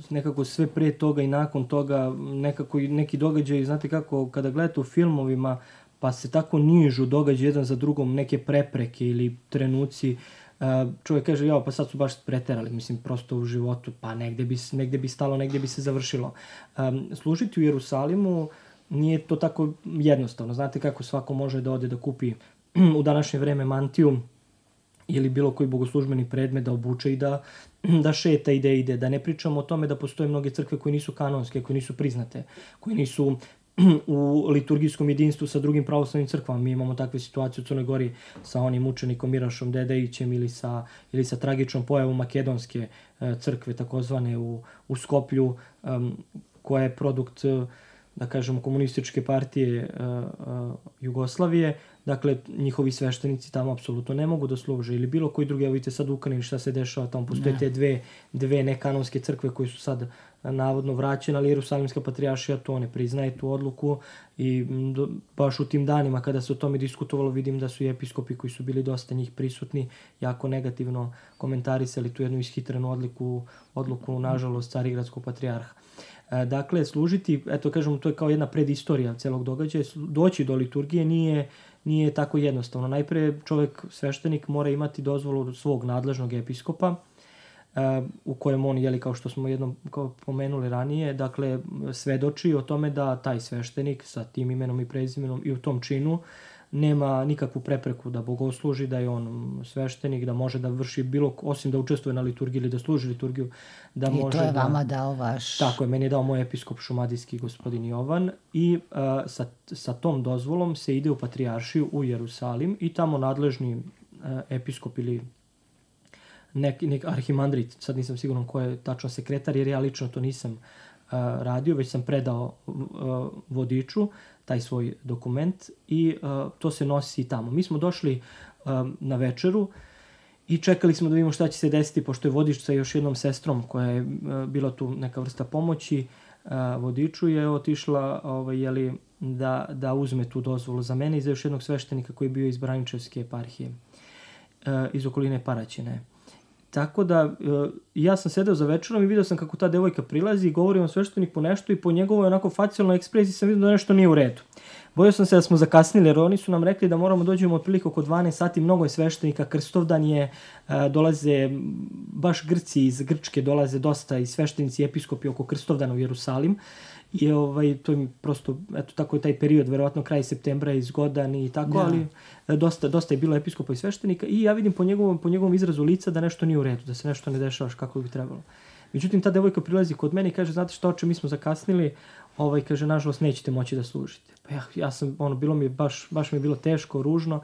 nekako sve pre toga i nakon toga nekako neki događaj, znate kako, kada gledate u filmovima pa se tako nižu događaj jedan za drugom, neke prepreke ili trenuci, Uh, čovjek kaže, jao, pa sad su baš preterali, mislim, prosto u životu, pa negde bi, negde bi stalo, negde bi se završilo. Um, služiti u Jerusalimu nije to tako jednostavno. Znate kako svako može da ode da kupi u današnje vreme mantiju ili bilo koji bogoslužbeni predmet da obuče i da, da šeta i da ide. Da ne pričamo o tome da postoje mnoge crkve koje nisu kanonske, koje nisu priznate, koje nisu u liturgijskom jedinstvu sa drugim pravoslavnim crkvama. Mi imamo takve situacije u Crnoj Gori sa onim učenikom Mirašom Dedejićem ili sa, ili sa tragičnom pojavom makedonske e, crkve, takozvane u, u Skoplju, um, koja je produkt, da kažemo, komunističke partije e, e, Jugoslavije. Dakle, njihovi sveštenici tamo apsolutno ne mogu da služe. Ili bilo koji drugi, evo vidite sad u Ukrajini šta se dešava, tamo postoje te dve, dve nekanonske crkve koje su sad navodno vraćene, ali Jerusalimska patrijaršija to ne priznaje, tu odluku, i do, baš u tim danima kada se o tome diskutovalo vidim da su i episkopi koji su bili dosta njih prisutni jako negativno komentarisali tu jednu ishitrenu odluku, odluku nažalost Carigradskog patrijarha. E, dakle, služiti, eto kažemo, to je kao jedna predistorija celog događaja, doći do liturgije nije nije tako jednostavno. Najpre čovjek, sveštenik, mora imati dozvolu svog nadležnog episkopa, uh, u kojem on, jeli, kao što smo jednom kao pomenuli ranije, dakle, svedoči o tome da taj sveštenik sa tim imenom i prezimenom i u tom činu nema nikakvu prepreku da bogosluži, da je on sveštenik, da može da vrši bilo, osim da učestvuje na liturgiji ili da služi liturgiju, da I može to je da, vama dao vaš... Tako je, meni je dao moj episkop šumadijski gospodin Jovan i uh, sa, sa tom dozvolom se ide u patrijaršiju u Jerusalim i tamo nadležni uh, episkop ili neki nek arhimandrit, sad nisam siguran ko je tačno sekretar, jer ja lično to nisam uh, radio, već sam predao uh, vodiču taj svoj dokument i uh, to se nosi tamo. Mi smo došli uh, na večeru i čekali smo da vidimo šta će se desiti, pošto je vodič sa još jednom sestrom koja je uh, bila tu neka vrsta pomoći uh, vodiču, je otišla ovaj, jeli, da, da uzme tu dozvolu za mene i za još jednog sveštenika koji je bio iz Braničevske eparhije, uh, iz okoline Paraćine. Tako da, uh, ja sam sedeo za večerom i vidio sam kako ta devojka prilazi i govori on svešteniku nešto i po njegovoj onako facijalnoj ekspresiji sam vidio da nešto nije u redu. Bojao sam se da smo zakasnili, jer oni su nam rekli da moramo dođemo otprilike oko dvanaest sati, mnogo je sveštenika, Krstovdan je, dolaze baš Grci iz Grčke, dolaze dosta i sveštenici i episkopi oko Krstovdana u Jerusalim. I ovaj, to je prosto, eto, tako je taj period, verovatno kraj septembra je zgodan i tako, da. Ali dosta, dosta je bilo episkopa i sveštenika i ja vidim po njegovom, po njegovom izrazu lica da nešto nije u redu, da se nešto ne dešava kako bi trebalo. Međutim, ta devojka prilazi kod mene i kaže, znate šta, oče, mi smo zakasnili, ovaj, kaže, nažalost, nećete moći da služite. Pa ja, ja sam, ono, bilo mi baš, baš mi je bilo teško, ružno.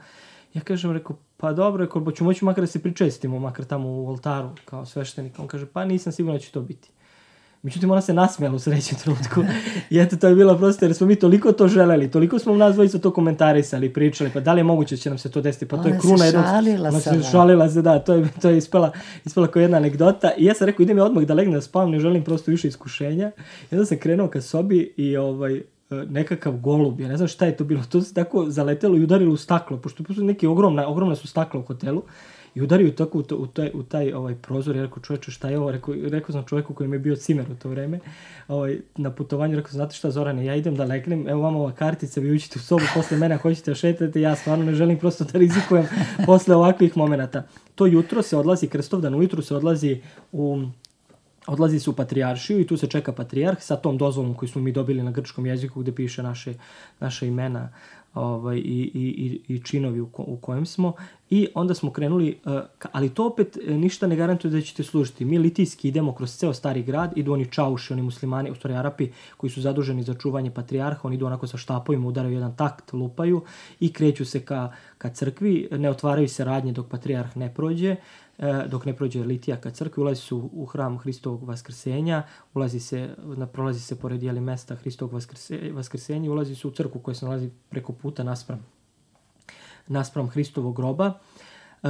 Ja kažem, rekao, pa dobro, rekao, ću moći makar da se pričestimo, makar tamo u oltaru, kao sveštenik. On kaže, pa nisam siguran da će to biti. Međutim, ona se nasmijala u srećnom trenutku. I eto, to je bilo prosto, jer smo mi toliko to želeli, toliko smo nas dvojica to komentarisali, pričali, pa da li je moguće da će nam se to desiti, pa to je kruna jednog... Ona se šalila se, da, to je, to je ispala, ispala kao jedna anegdota. I ja sam rekao, idem ja odmah da legnem da spavam, ne želim prosto više iskušenja. I onda sam krenuo ka sobi i ovaj, nekakav golub, ja ne znam šta je to bilo, to se tako zaletelo i udarilo u staklo, pošto neke ogromne, ogromne su stakla u hotelu. I udario tako u, to, u taj, u taj ovaj, prozor, ja rekao, čoveče, šta je ovo? Rekao, rekao sam čovjeku koji mi je bio cimer u to vreme, ovaj, na putovanju, rekao, znate šta, Zorane, ja idem da legnem, evo vam ova kartica, vi uđite u sobu posle mene, hoćete da šetate, ja stvarno ne želim prosto da rizikujem posle ovakvih momenata. To jutro se odlazi, Krstovdan ujutru se odlazi u... Odlazi se u patrijaršiju i tu se čeka patrijarh sa tom dozvolom koju smo mi dobili na grčkom jeziku gde piše naše, naše imena ovaj, i, i, i činovi u, ko, u kojem smo. I onda smo krenuli, uh, ali to opet ništa ne garantuje da ćete služiti. Mi litijski idemo kroz ceo stari grad, idu oni čauši, oni muslimani, u stvari Arapi, koji su zaduženi za čuvanje patrijarha, oni idu onako sa štapovima, udaraju jedan takt, lupaju i kreću se ka, ka crkvi, ne otvaraju se radnje dok patrijarh ne prođe, dok ne prođe litija ka crkvi, ulazi se u, u hram Hristovog vaskrsenja, ulazi se, prolazi se pored jeli mesta Hristovog vaskrse, vaskrsenja, ulazi se u crkvu koja se nalazi preko puta naspram, naspram Hristovog groba.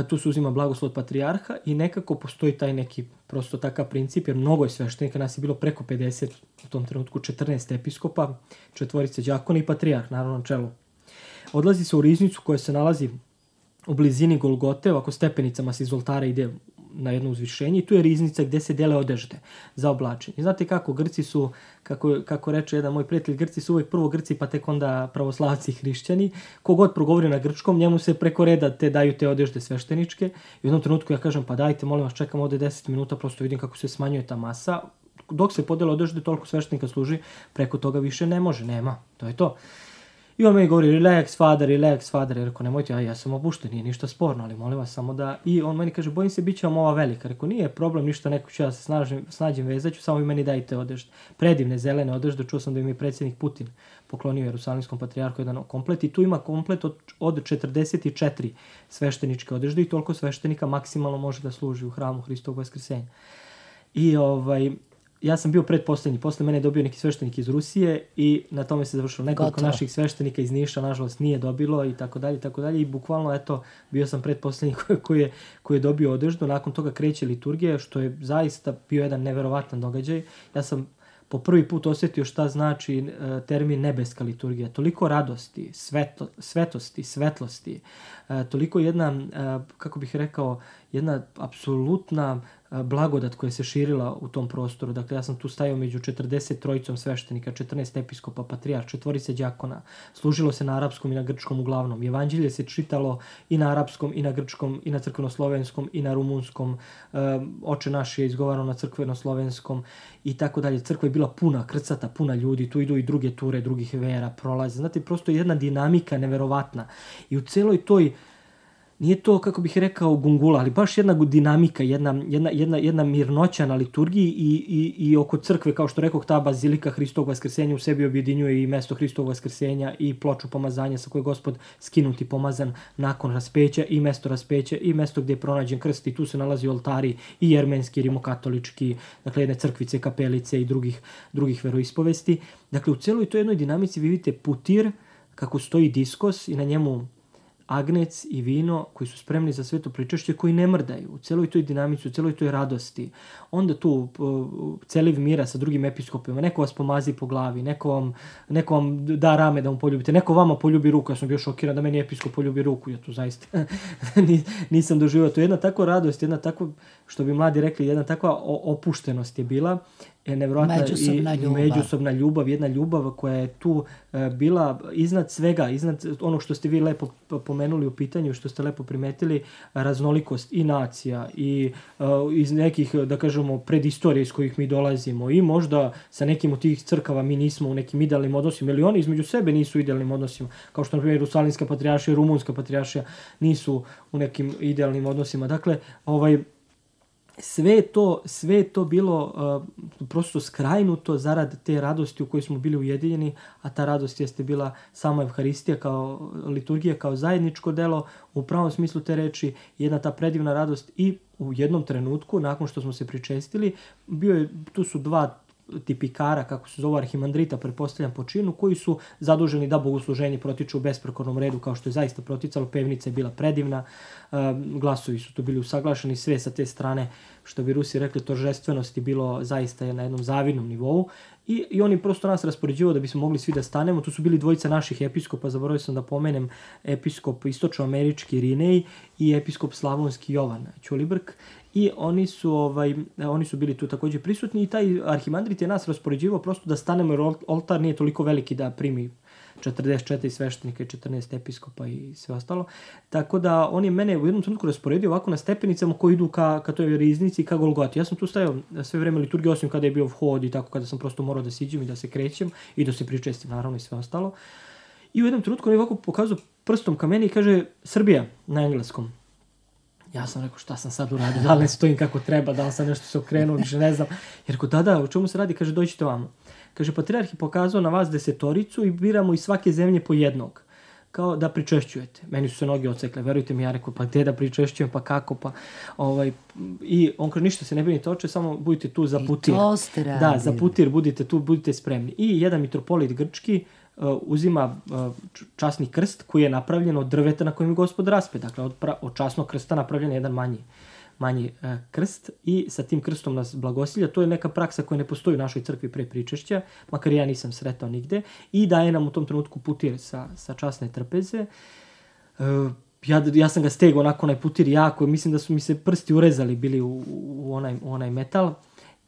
Tu se uzima blagoslov od patrijarha i nekako postoji taj neki prosto takav princip, jer mnogo je sveštenika, nas je bilo preko pedeset, u tom trenutku četrnaest episkopa, četvorice đakona i patrijarh, naravno na čelu. Odlazi se u riznicu koja se nalazi u blizini Golgote, ovako stepenicama se iz oltara ide na jedno uzvišenje i tu je riznica gde se dele odežde za oblačenje. Znate kako, Grci su, kako, kako reče jedan moj prijatelj, Grci su uvijek prvo Grci pa tek onda pravoslavci i hrišćani. Kogod progovori na grčkom, njemu se preko reda te daju te odežde svešteničke. I u jednom trenutku ja kažem, pa dajte, molim vas, čekam ovde deset minuta, prosto vidim kako se smanjuje ta masa. Dok se podele odežde, toliko sveštenika služi, preko toga više ne može, nema, to je to. I on meni govori, relax, fader, relax, fader. Ja rekao, nemojte, ja, ja sam opušten, nije ništa sporno, ali molim vas samo da... I on meni kaže, bojim se, bit će vam ova velika. Rekao, nije problem, ništa, neko ću ja se snažim, snađem vezaću, samo vi meni dajte odežde. Predivne, zelene odežde, čuo sam da im je predsjednik Putin poklonio Jerusalimskom patrijarhu jedan komplet. I tu ima komplet od, od četrdeset četiri svešteničke odežde i toliko sveštenika maksimalno može da služi u hramu Hristovog vaskrsenja. I ovaj... Ja sam bio predposlednji, posle mene je dobio neki sveštenik iz Rusije i na tome se završilo. Nekoliko Gotovo. Naših sveštenika iz Niša, nažalost, nije dobilo i tako dalje, i tako dalje. I bukvalno, eto, bio sam predposlednji koji, koji, je, koji je dobio odeždu. Nakon toga kreće liturgija, što je zaista bio jedan neverovatan događaj. Ja sam po prvi put osjetio šta znači uh, termin nebeska liturgija. Toliko radosti, sveto, svetosti, svetlosti, uh, toliko jedna, uh, kako bih rekao, jedna apsolutna blagodat koja se širila u tom prostoru. Dakle, ja sam tu stajao među četrdeset trojicom sveštenika, četrnaest episkopa, patrijarh, četvorice đakona. Služilo se na arapskom i na grčkom uglavnom. Evanđelje se čitalo i na arapskom, i na grčkom, i na crkvenoslovenskom, i na rumunskom. E, Oče naš je izgovarano na crkvenoslovenskom i tako dalje. Crkva je bila puna, krcata, puna ljudi. Tu idu i druge ture, drugih vera, prolaze. Znate, prosto je jedna dinamika neverovatna. I u celoj toj nije to, kako bih rekao, gungula, ali baš jedna dinamika, jedna, jedna, jedna, jedna mirnoća na liturgiji i, i, i oko crkve, kao što rekoh, ta bazilika Hristovog vaskrsenja u sebi objedinjuje i mesto Hristovog vaskrsenja i ploču pomazanja sa koje je Gospod skinut i pomazan nakon raspeća i mesto raspeća i mesto gdje je pronađen krst i tu se nalazi oltari i jermenski, rimokatolički, dakle jedne crkvice, kapelice i drugih, drugih veroispovesti. Dakle, u celoj toj jednoj dinamici vi vidite putir, kako stoji diskos i na njemu agnec i vino koji su spremni za sveto pričašće, koji ne mrdaju u celoj toj dinamici, u celoj toj radosti. Onda tu uh, celiv mira sa drugim episkopima, neko vas pomazi po glavi, neko vam, neko vam da rame da mu poljubite, neko vama poljubi ruku. Ja sam bio šokiran da meni episkop poljubi ruku, ja tu zaista nisam doživao. To je jedna takva radost, jedna takva, što bi mladi rekli, jedna takva opuštenost je bila. Nevjerojatna međusobna i ljubav. međusobna ljubav, jedna ljubav koja je tu e, bila iznad svega, iznad onog što ste vi lepo pomenuli u pitanju, što ste lepo primetili, raznolikost i nacija i e, iz nekih, da kažemo, predistorije iz kojih mi dolazimo i možda sa nekim od tih crkava mi nismo u nekim idealnim odnosima ili oni između sebe nisu u idealnim odnosima, kao što na primjer Jerusalimska patrijaršija i Rumunska patrijaršija nisu u nekim idealnim odnosima. Dakle, ovaj sve to, sve to bilo uh, prosto skrajnuto zarad te radosti u kojoj smo bili ujedinjeni, a ta radost jeste bila sama Evharistija kao liturgija, kao zajedničko delo, u pravom smislu te reči, jedna ta predivna radost i u jednom trenutku, nakon što smo se pričestili, bio je, tu su dva tipikara, kako se zove, arhimandrita, pretpostavljam po činu, koji su zaduženi da bogosluženje protiče u besprekornom redu, kao što je zaista proticalo. Pevnica je bila predivna, glasovi su tu bili usaglašeni, sve sa te strane, što bi Rusi rekli, toržestvenost je bilo zaista na jednom zavidnom nivou. I, I oni prosto nas raspoređivao da bismo mogli svi da stanemo. Tu su bili dvojica naših episkopa, zaboravio sam da pomenem, episkop istočnoamerički Rinej i episkop slavonski Jovan Ćulibrk. I oni su, ovaj, oni su bili tu također prisutni i taj arhimandrit je nas raspoređivao prosto da stanemo, jer oltar nije toliko veliki da primi četrdeset četiri sveštenika i četrnaest episkopa i sve ostalo. Tako da on je mene u jednom trenutku rasporedio ovako na stepenicama koji idu ka, ka toj riznici i ka Golgoti. Ja sam tu stajao sve vreme liturgije, osim kada je bio hod i tako, kada sam prosto morao da siđem i da se krećem i da se pričestim, naravno, i sve ostalo. I u jednom trenutku on je ovako pokazao prstom ka meni i kaže Srbija na engleskom. Ja sam rekao šta sam sad uradio, da li ne stojim kako treba, da li sam nešto se okrenuo, više ne znam. Jer ko da, da, o čemu se radi? Kaže, dođite vamo. Kaže, patrijarh je pokazao na vas desetoricu i biramo iz svake zemlje po jednog. Kao da pričešćujete. Meni su se noge odsekle, verujte mi, ja rekao, pa gde da pričešćujem, pa kako, pa ovaj... I on kaže, ništa se ne brinite oče, samo budite tu za putir. I to ste radili. Da, za putir budite tu, budite spremni. I jedan mitropolit grčki uh, uzima uh, časni krst koji je napravljen od drveta na kojem je Gospod raspe. Dakle, od, pra, od časnog krsta napravljen je jedan manji, manji uh, krst i sa tim krstom nas blagosilja. To je neka praksa koja ne postoji u našoj crkvi pre pričešća, makar ja nisam sretao nigde. I daje nam u tom trenutku putir sa, sa časne trpeze. Uh, ja, ja sam ga stegao onako onaj putir jako, mislim da su mi se prsti urezali bili u, u, onaj, u onaj metal.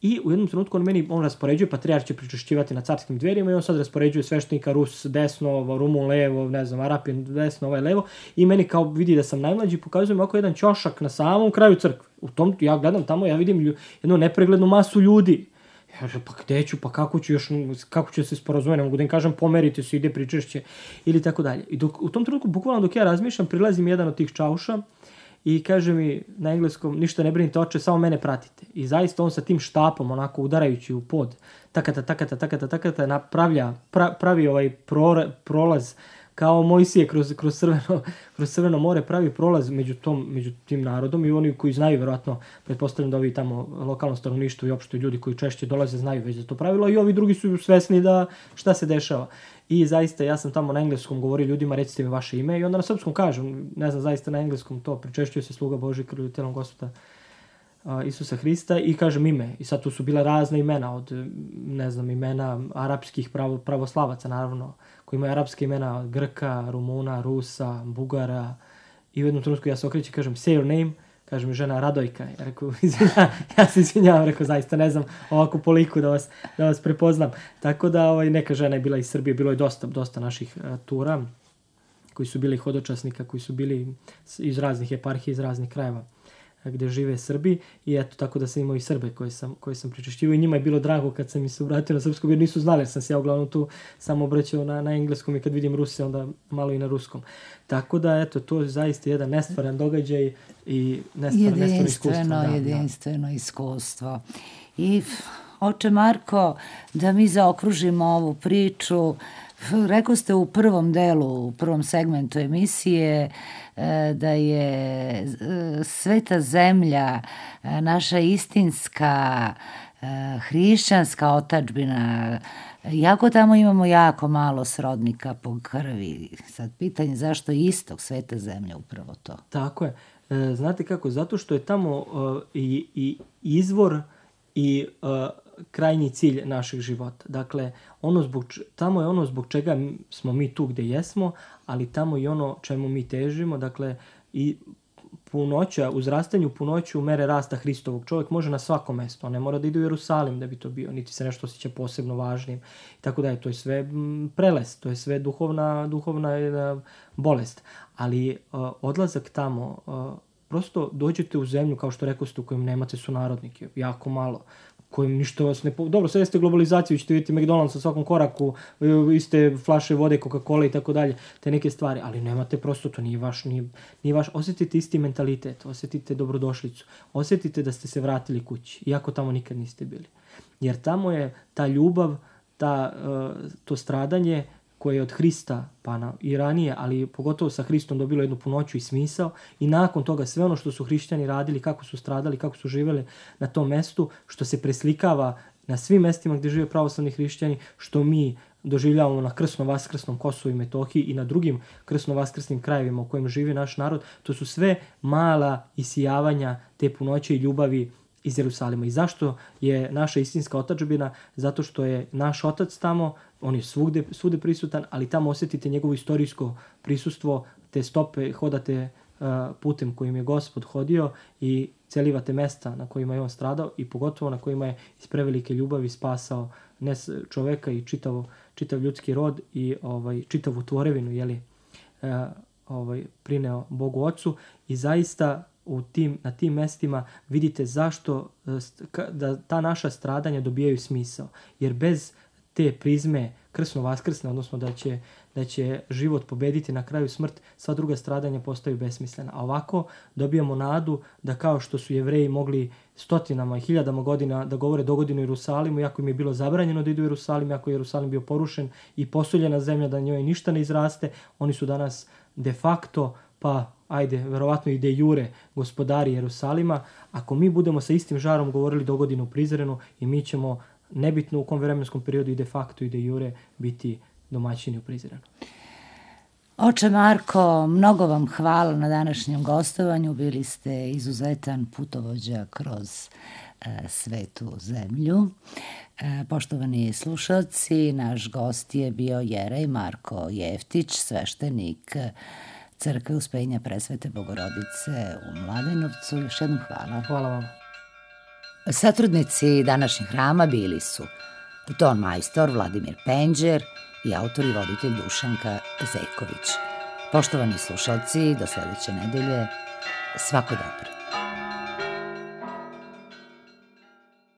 I u jednom trenutku on meni, on raspoređuje, patrijarh će pričešćivati na carskim dverima i on sad raspoređuje sveštenika, Rus desno, Rumun levo, ne znam, Arapin desno, ovaj levo. I meni kao vidi da sam najmlađi, pokazuje mi ovako jedan ćošak na samom kraju crkve. U tom, ja gledam tamo, ja vidim lju, jednu nepreglednu masu ljudi. Ja kažem, pa gde ću, pa kako ću još, kako ću se sporazumeti, ne mogu da im kažem, pomerite se, ide pričešće ili tako dalje. I dok, u tom trenutku, bukvalno dok ja razmišljam, prilazi mi jedan od tih čauša i kaže mi na engleskom, ništa ne brinite oče, samo mene pratite. I zaista on sa tim štapom, onako udarajući u pod, takata, takata, takata, takata, napravlja, pra, pravi ovaj pro, prolaz, kao Mojsije kroz, kroz, crveno, kroz crveno more, pravi prolaz među, tom, među tim narodom i oni koji znaju, verovatno, pretpostavljam da ovi tamo lokalno stanovništvo i opšte ljudi koji češće dolaze znaju već za to pravilo i ovi drugi su svesni da šta se dešava. I zaista ja sam tamo na engleskom govorio ljudima, recite mi vaše ime i onda na srpskom kažem, ne znam, zaista na engleskom to, pričešćuje se sluga Božji krvlju i telom Gospoda uh, Isusa Hrista i kažem ime. I sad tu su bila razna imena od, ne znam, imena arapskih pravo, pravoslavaca, naravno, koji imaju arapske imena od Grka, Rumuna, Rusa, Bugara. I u jednom trenutku ja se okrećem i kažem, say your name, kaže mi žena Radojka. Ja rekao, izvinjam, ja se izvinjavam, rekao, zaista ne znam ovako po liku da vas, da vas prepoznam. Tako da ovaj, neka žena je bila iz Srbije, bilo je dosta, dosta naših uh, tura koji su bili hodočasnika, koji su bili iz raznih eparhija, iz raznih krajeva gde žive Srbi i eto tako da sam imao i Srbe koje sam, koje sam pričešćivao i njima je bilo drago kad sam mi se obratio na srpskom jer nisu znali jer sam se ja uglavnom tu samo obraćao na, na engleskom i kad vidim Ruse onda malo i na ruskom. Tako da eto to je zaista jedan nestvaran događaj i nestvaran, nestvarno iskustvo. Jedinstveno, da, jedinstveno da. iskustvo. I oče Marko, da mi zaokružimo ovu priču, rekao ste u prvom delu, u prvom segmentu emisije da je sveta zemlja, naša istinska hrišćanska otadžbina, jako tamo imamo jako malo srodnika po krvi. Sad pitanje zašto je istok sveta zemlja upravo to? Tako je. Znate kako? Zato što je tamo uh, i, i izvor i uh, krajnji cilj našeg života. Dakle, ono zbog, tamo je ono zbog čega smo mi tu gde jesmo, ali tamo i ono čemu mi težimo. Dakle, i punoća, uzrastanju punoću mere rasta Hristovog. Čovjek može na svako mesto, on ne mora da ide u Jerusalim da bi to bio, niti se nešto osjeća posebno važnim. Tako da je to je sve prelest, to je sve duhovna, duhovna bolest. Ali uh, odlazak tamo, uh, prosto dođete u zemlju, kao što rekao ste, u kojem nemate sunarodnike, jako malo, kojim ništa vas ne... Po... Dobro, sve ste globalizaciju, ćete vidjeti McDonald's sa svakom koraku, iste flaše vode, Coca-Cola i tako dalje, te neke stvari, ali nemate prosto, to nije vaš, nije, nije vaš, osjetite isti mentalitet, osjetite dobrodošlicu, osjetite da ste se vratili kući, iako tamo nikad niste bili. Jer tamo je ta ljubav, ta, uh, to stradanje koje je od Hrista, pa na, i ranije, ali pogotovo sa Hristom dobilo jednu punoću i smisao i nakon toga sve ono što su hrišćani radili, kako su stradali, kako su živjeli na tom mestu, što se preslikava na svim mestima gdje žive pravoslavni hrišćani, što mi doživljavamo na krsno-vaskrsnom Kosovu i Metohiji i na drugim krsno-vaskrsnim krajevima u kojim živi naš narod, to su sve mala isijavanja te punoće i ljubavi iz Jerusalima. I zašto je naša istinska otadžbina? Zato što je naš otac tamo, on je svugde, svugde prisutan, ali tamo osjetite njegovo istorijsko prisustvo, te stope, hodate uh, putem kojim je Gospod hodio i celivate mesta na kojima je on stradao i pogotovo na kojima je iz prevelike ljubavi spasao ne čoveka i čitav, čitav ljudski rod i ovaj, čitavu tvorevinu, jeli, uh, ovaj, prineo Bogu Ocu i zaista u tim, na tim mestima vidite zašto da ta naša stradanja dobijaju smisao. Jer bez te prizme krsno-vaskrsne, odnosno da će, da će život pobediti na kraju smrt, sva druga stradanja postaju besmislena. A ovako dobijamo nadu da kao što su Jevreji mogli stotinama i hiljadama godina da govore dogodine u Jerusalimu, iako im je bilo zabranjeno da idu u Jerusalim, iako je Jerusalim bio porušen i posuljena zemlja da njoj ništa ne izraste, oni su danas de facto, pa ajde, verovatno i de jure gospodari Jerusalima. Ako mi budemo sa istim žarom govorili dogodine u Prizrenu, i mi ćemo, nebitno u kom vremenskom periodu, i de facto i de jure biti domaćini u Prizrenu. Oče Marko, mnogo vam hvala na današnjem gostovanju. Bili ste izuzetan putovođa kroz e, svetu zemlju. E, poštovani slušalci, naš gost je bio Jerej Marko Jeftić, sveštenik Crkve Uspenja Presvete Bogorodice u Mladenovcu. Još jednom hvala. Hvala vam. Satrudnici današnjeg hrama bili su ton majstor Vladimir Penđer i autor i voditelj Dušanka Zejković. Poštovani slušalci, do sledeće nedelje, svako dobro.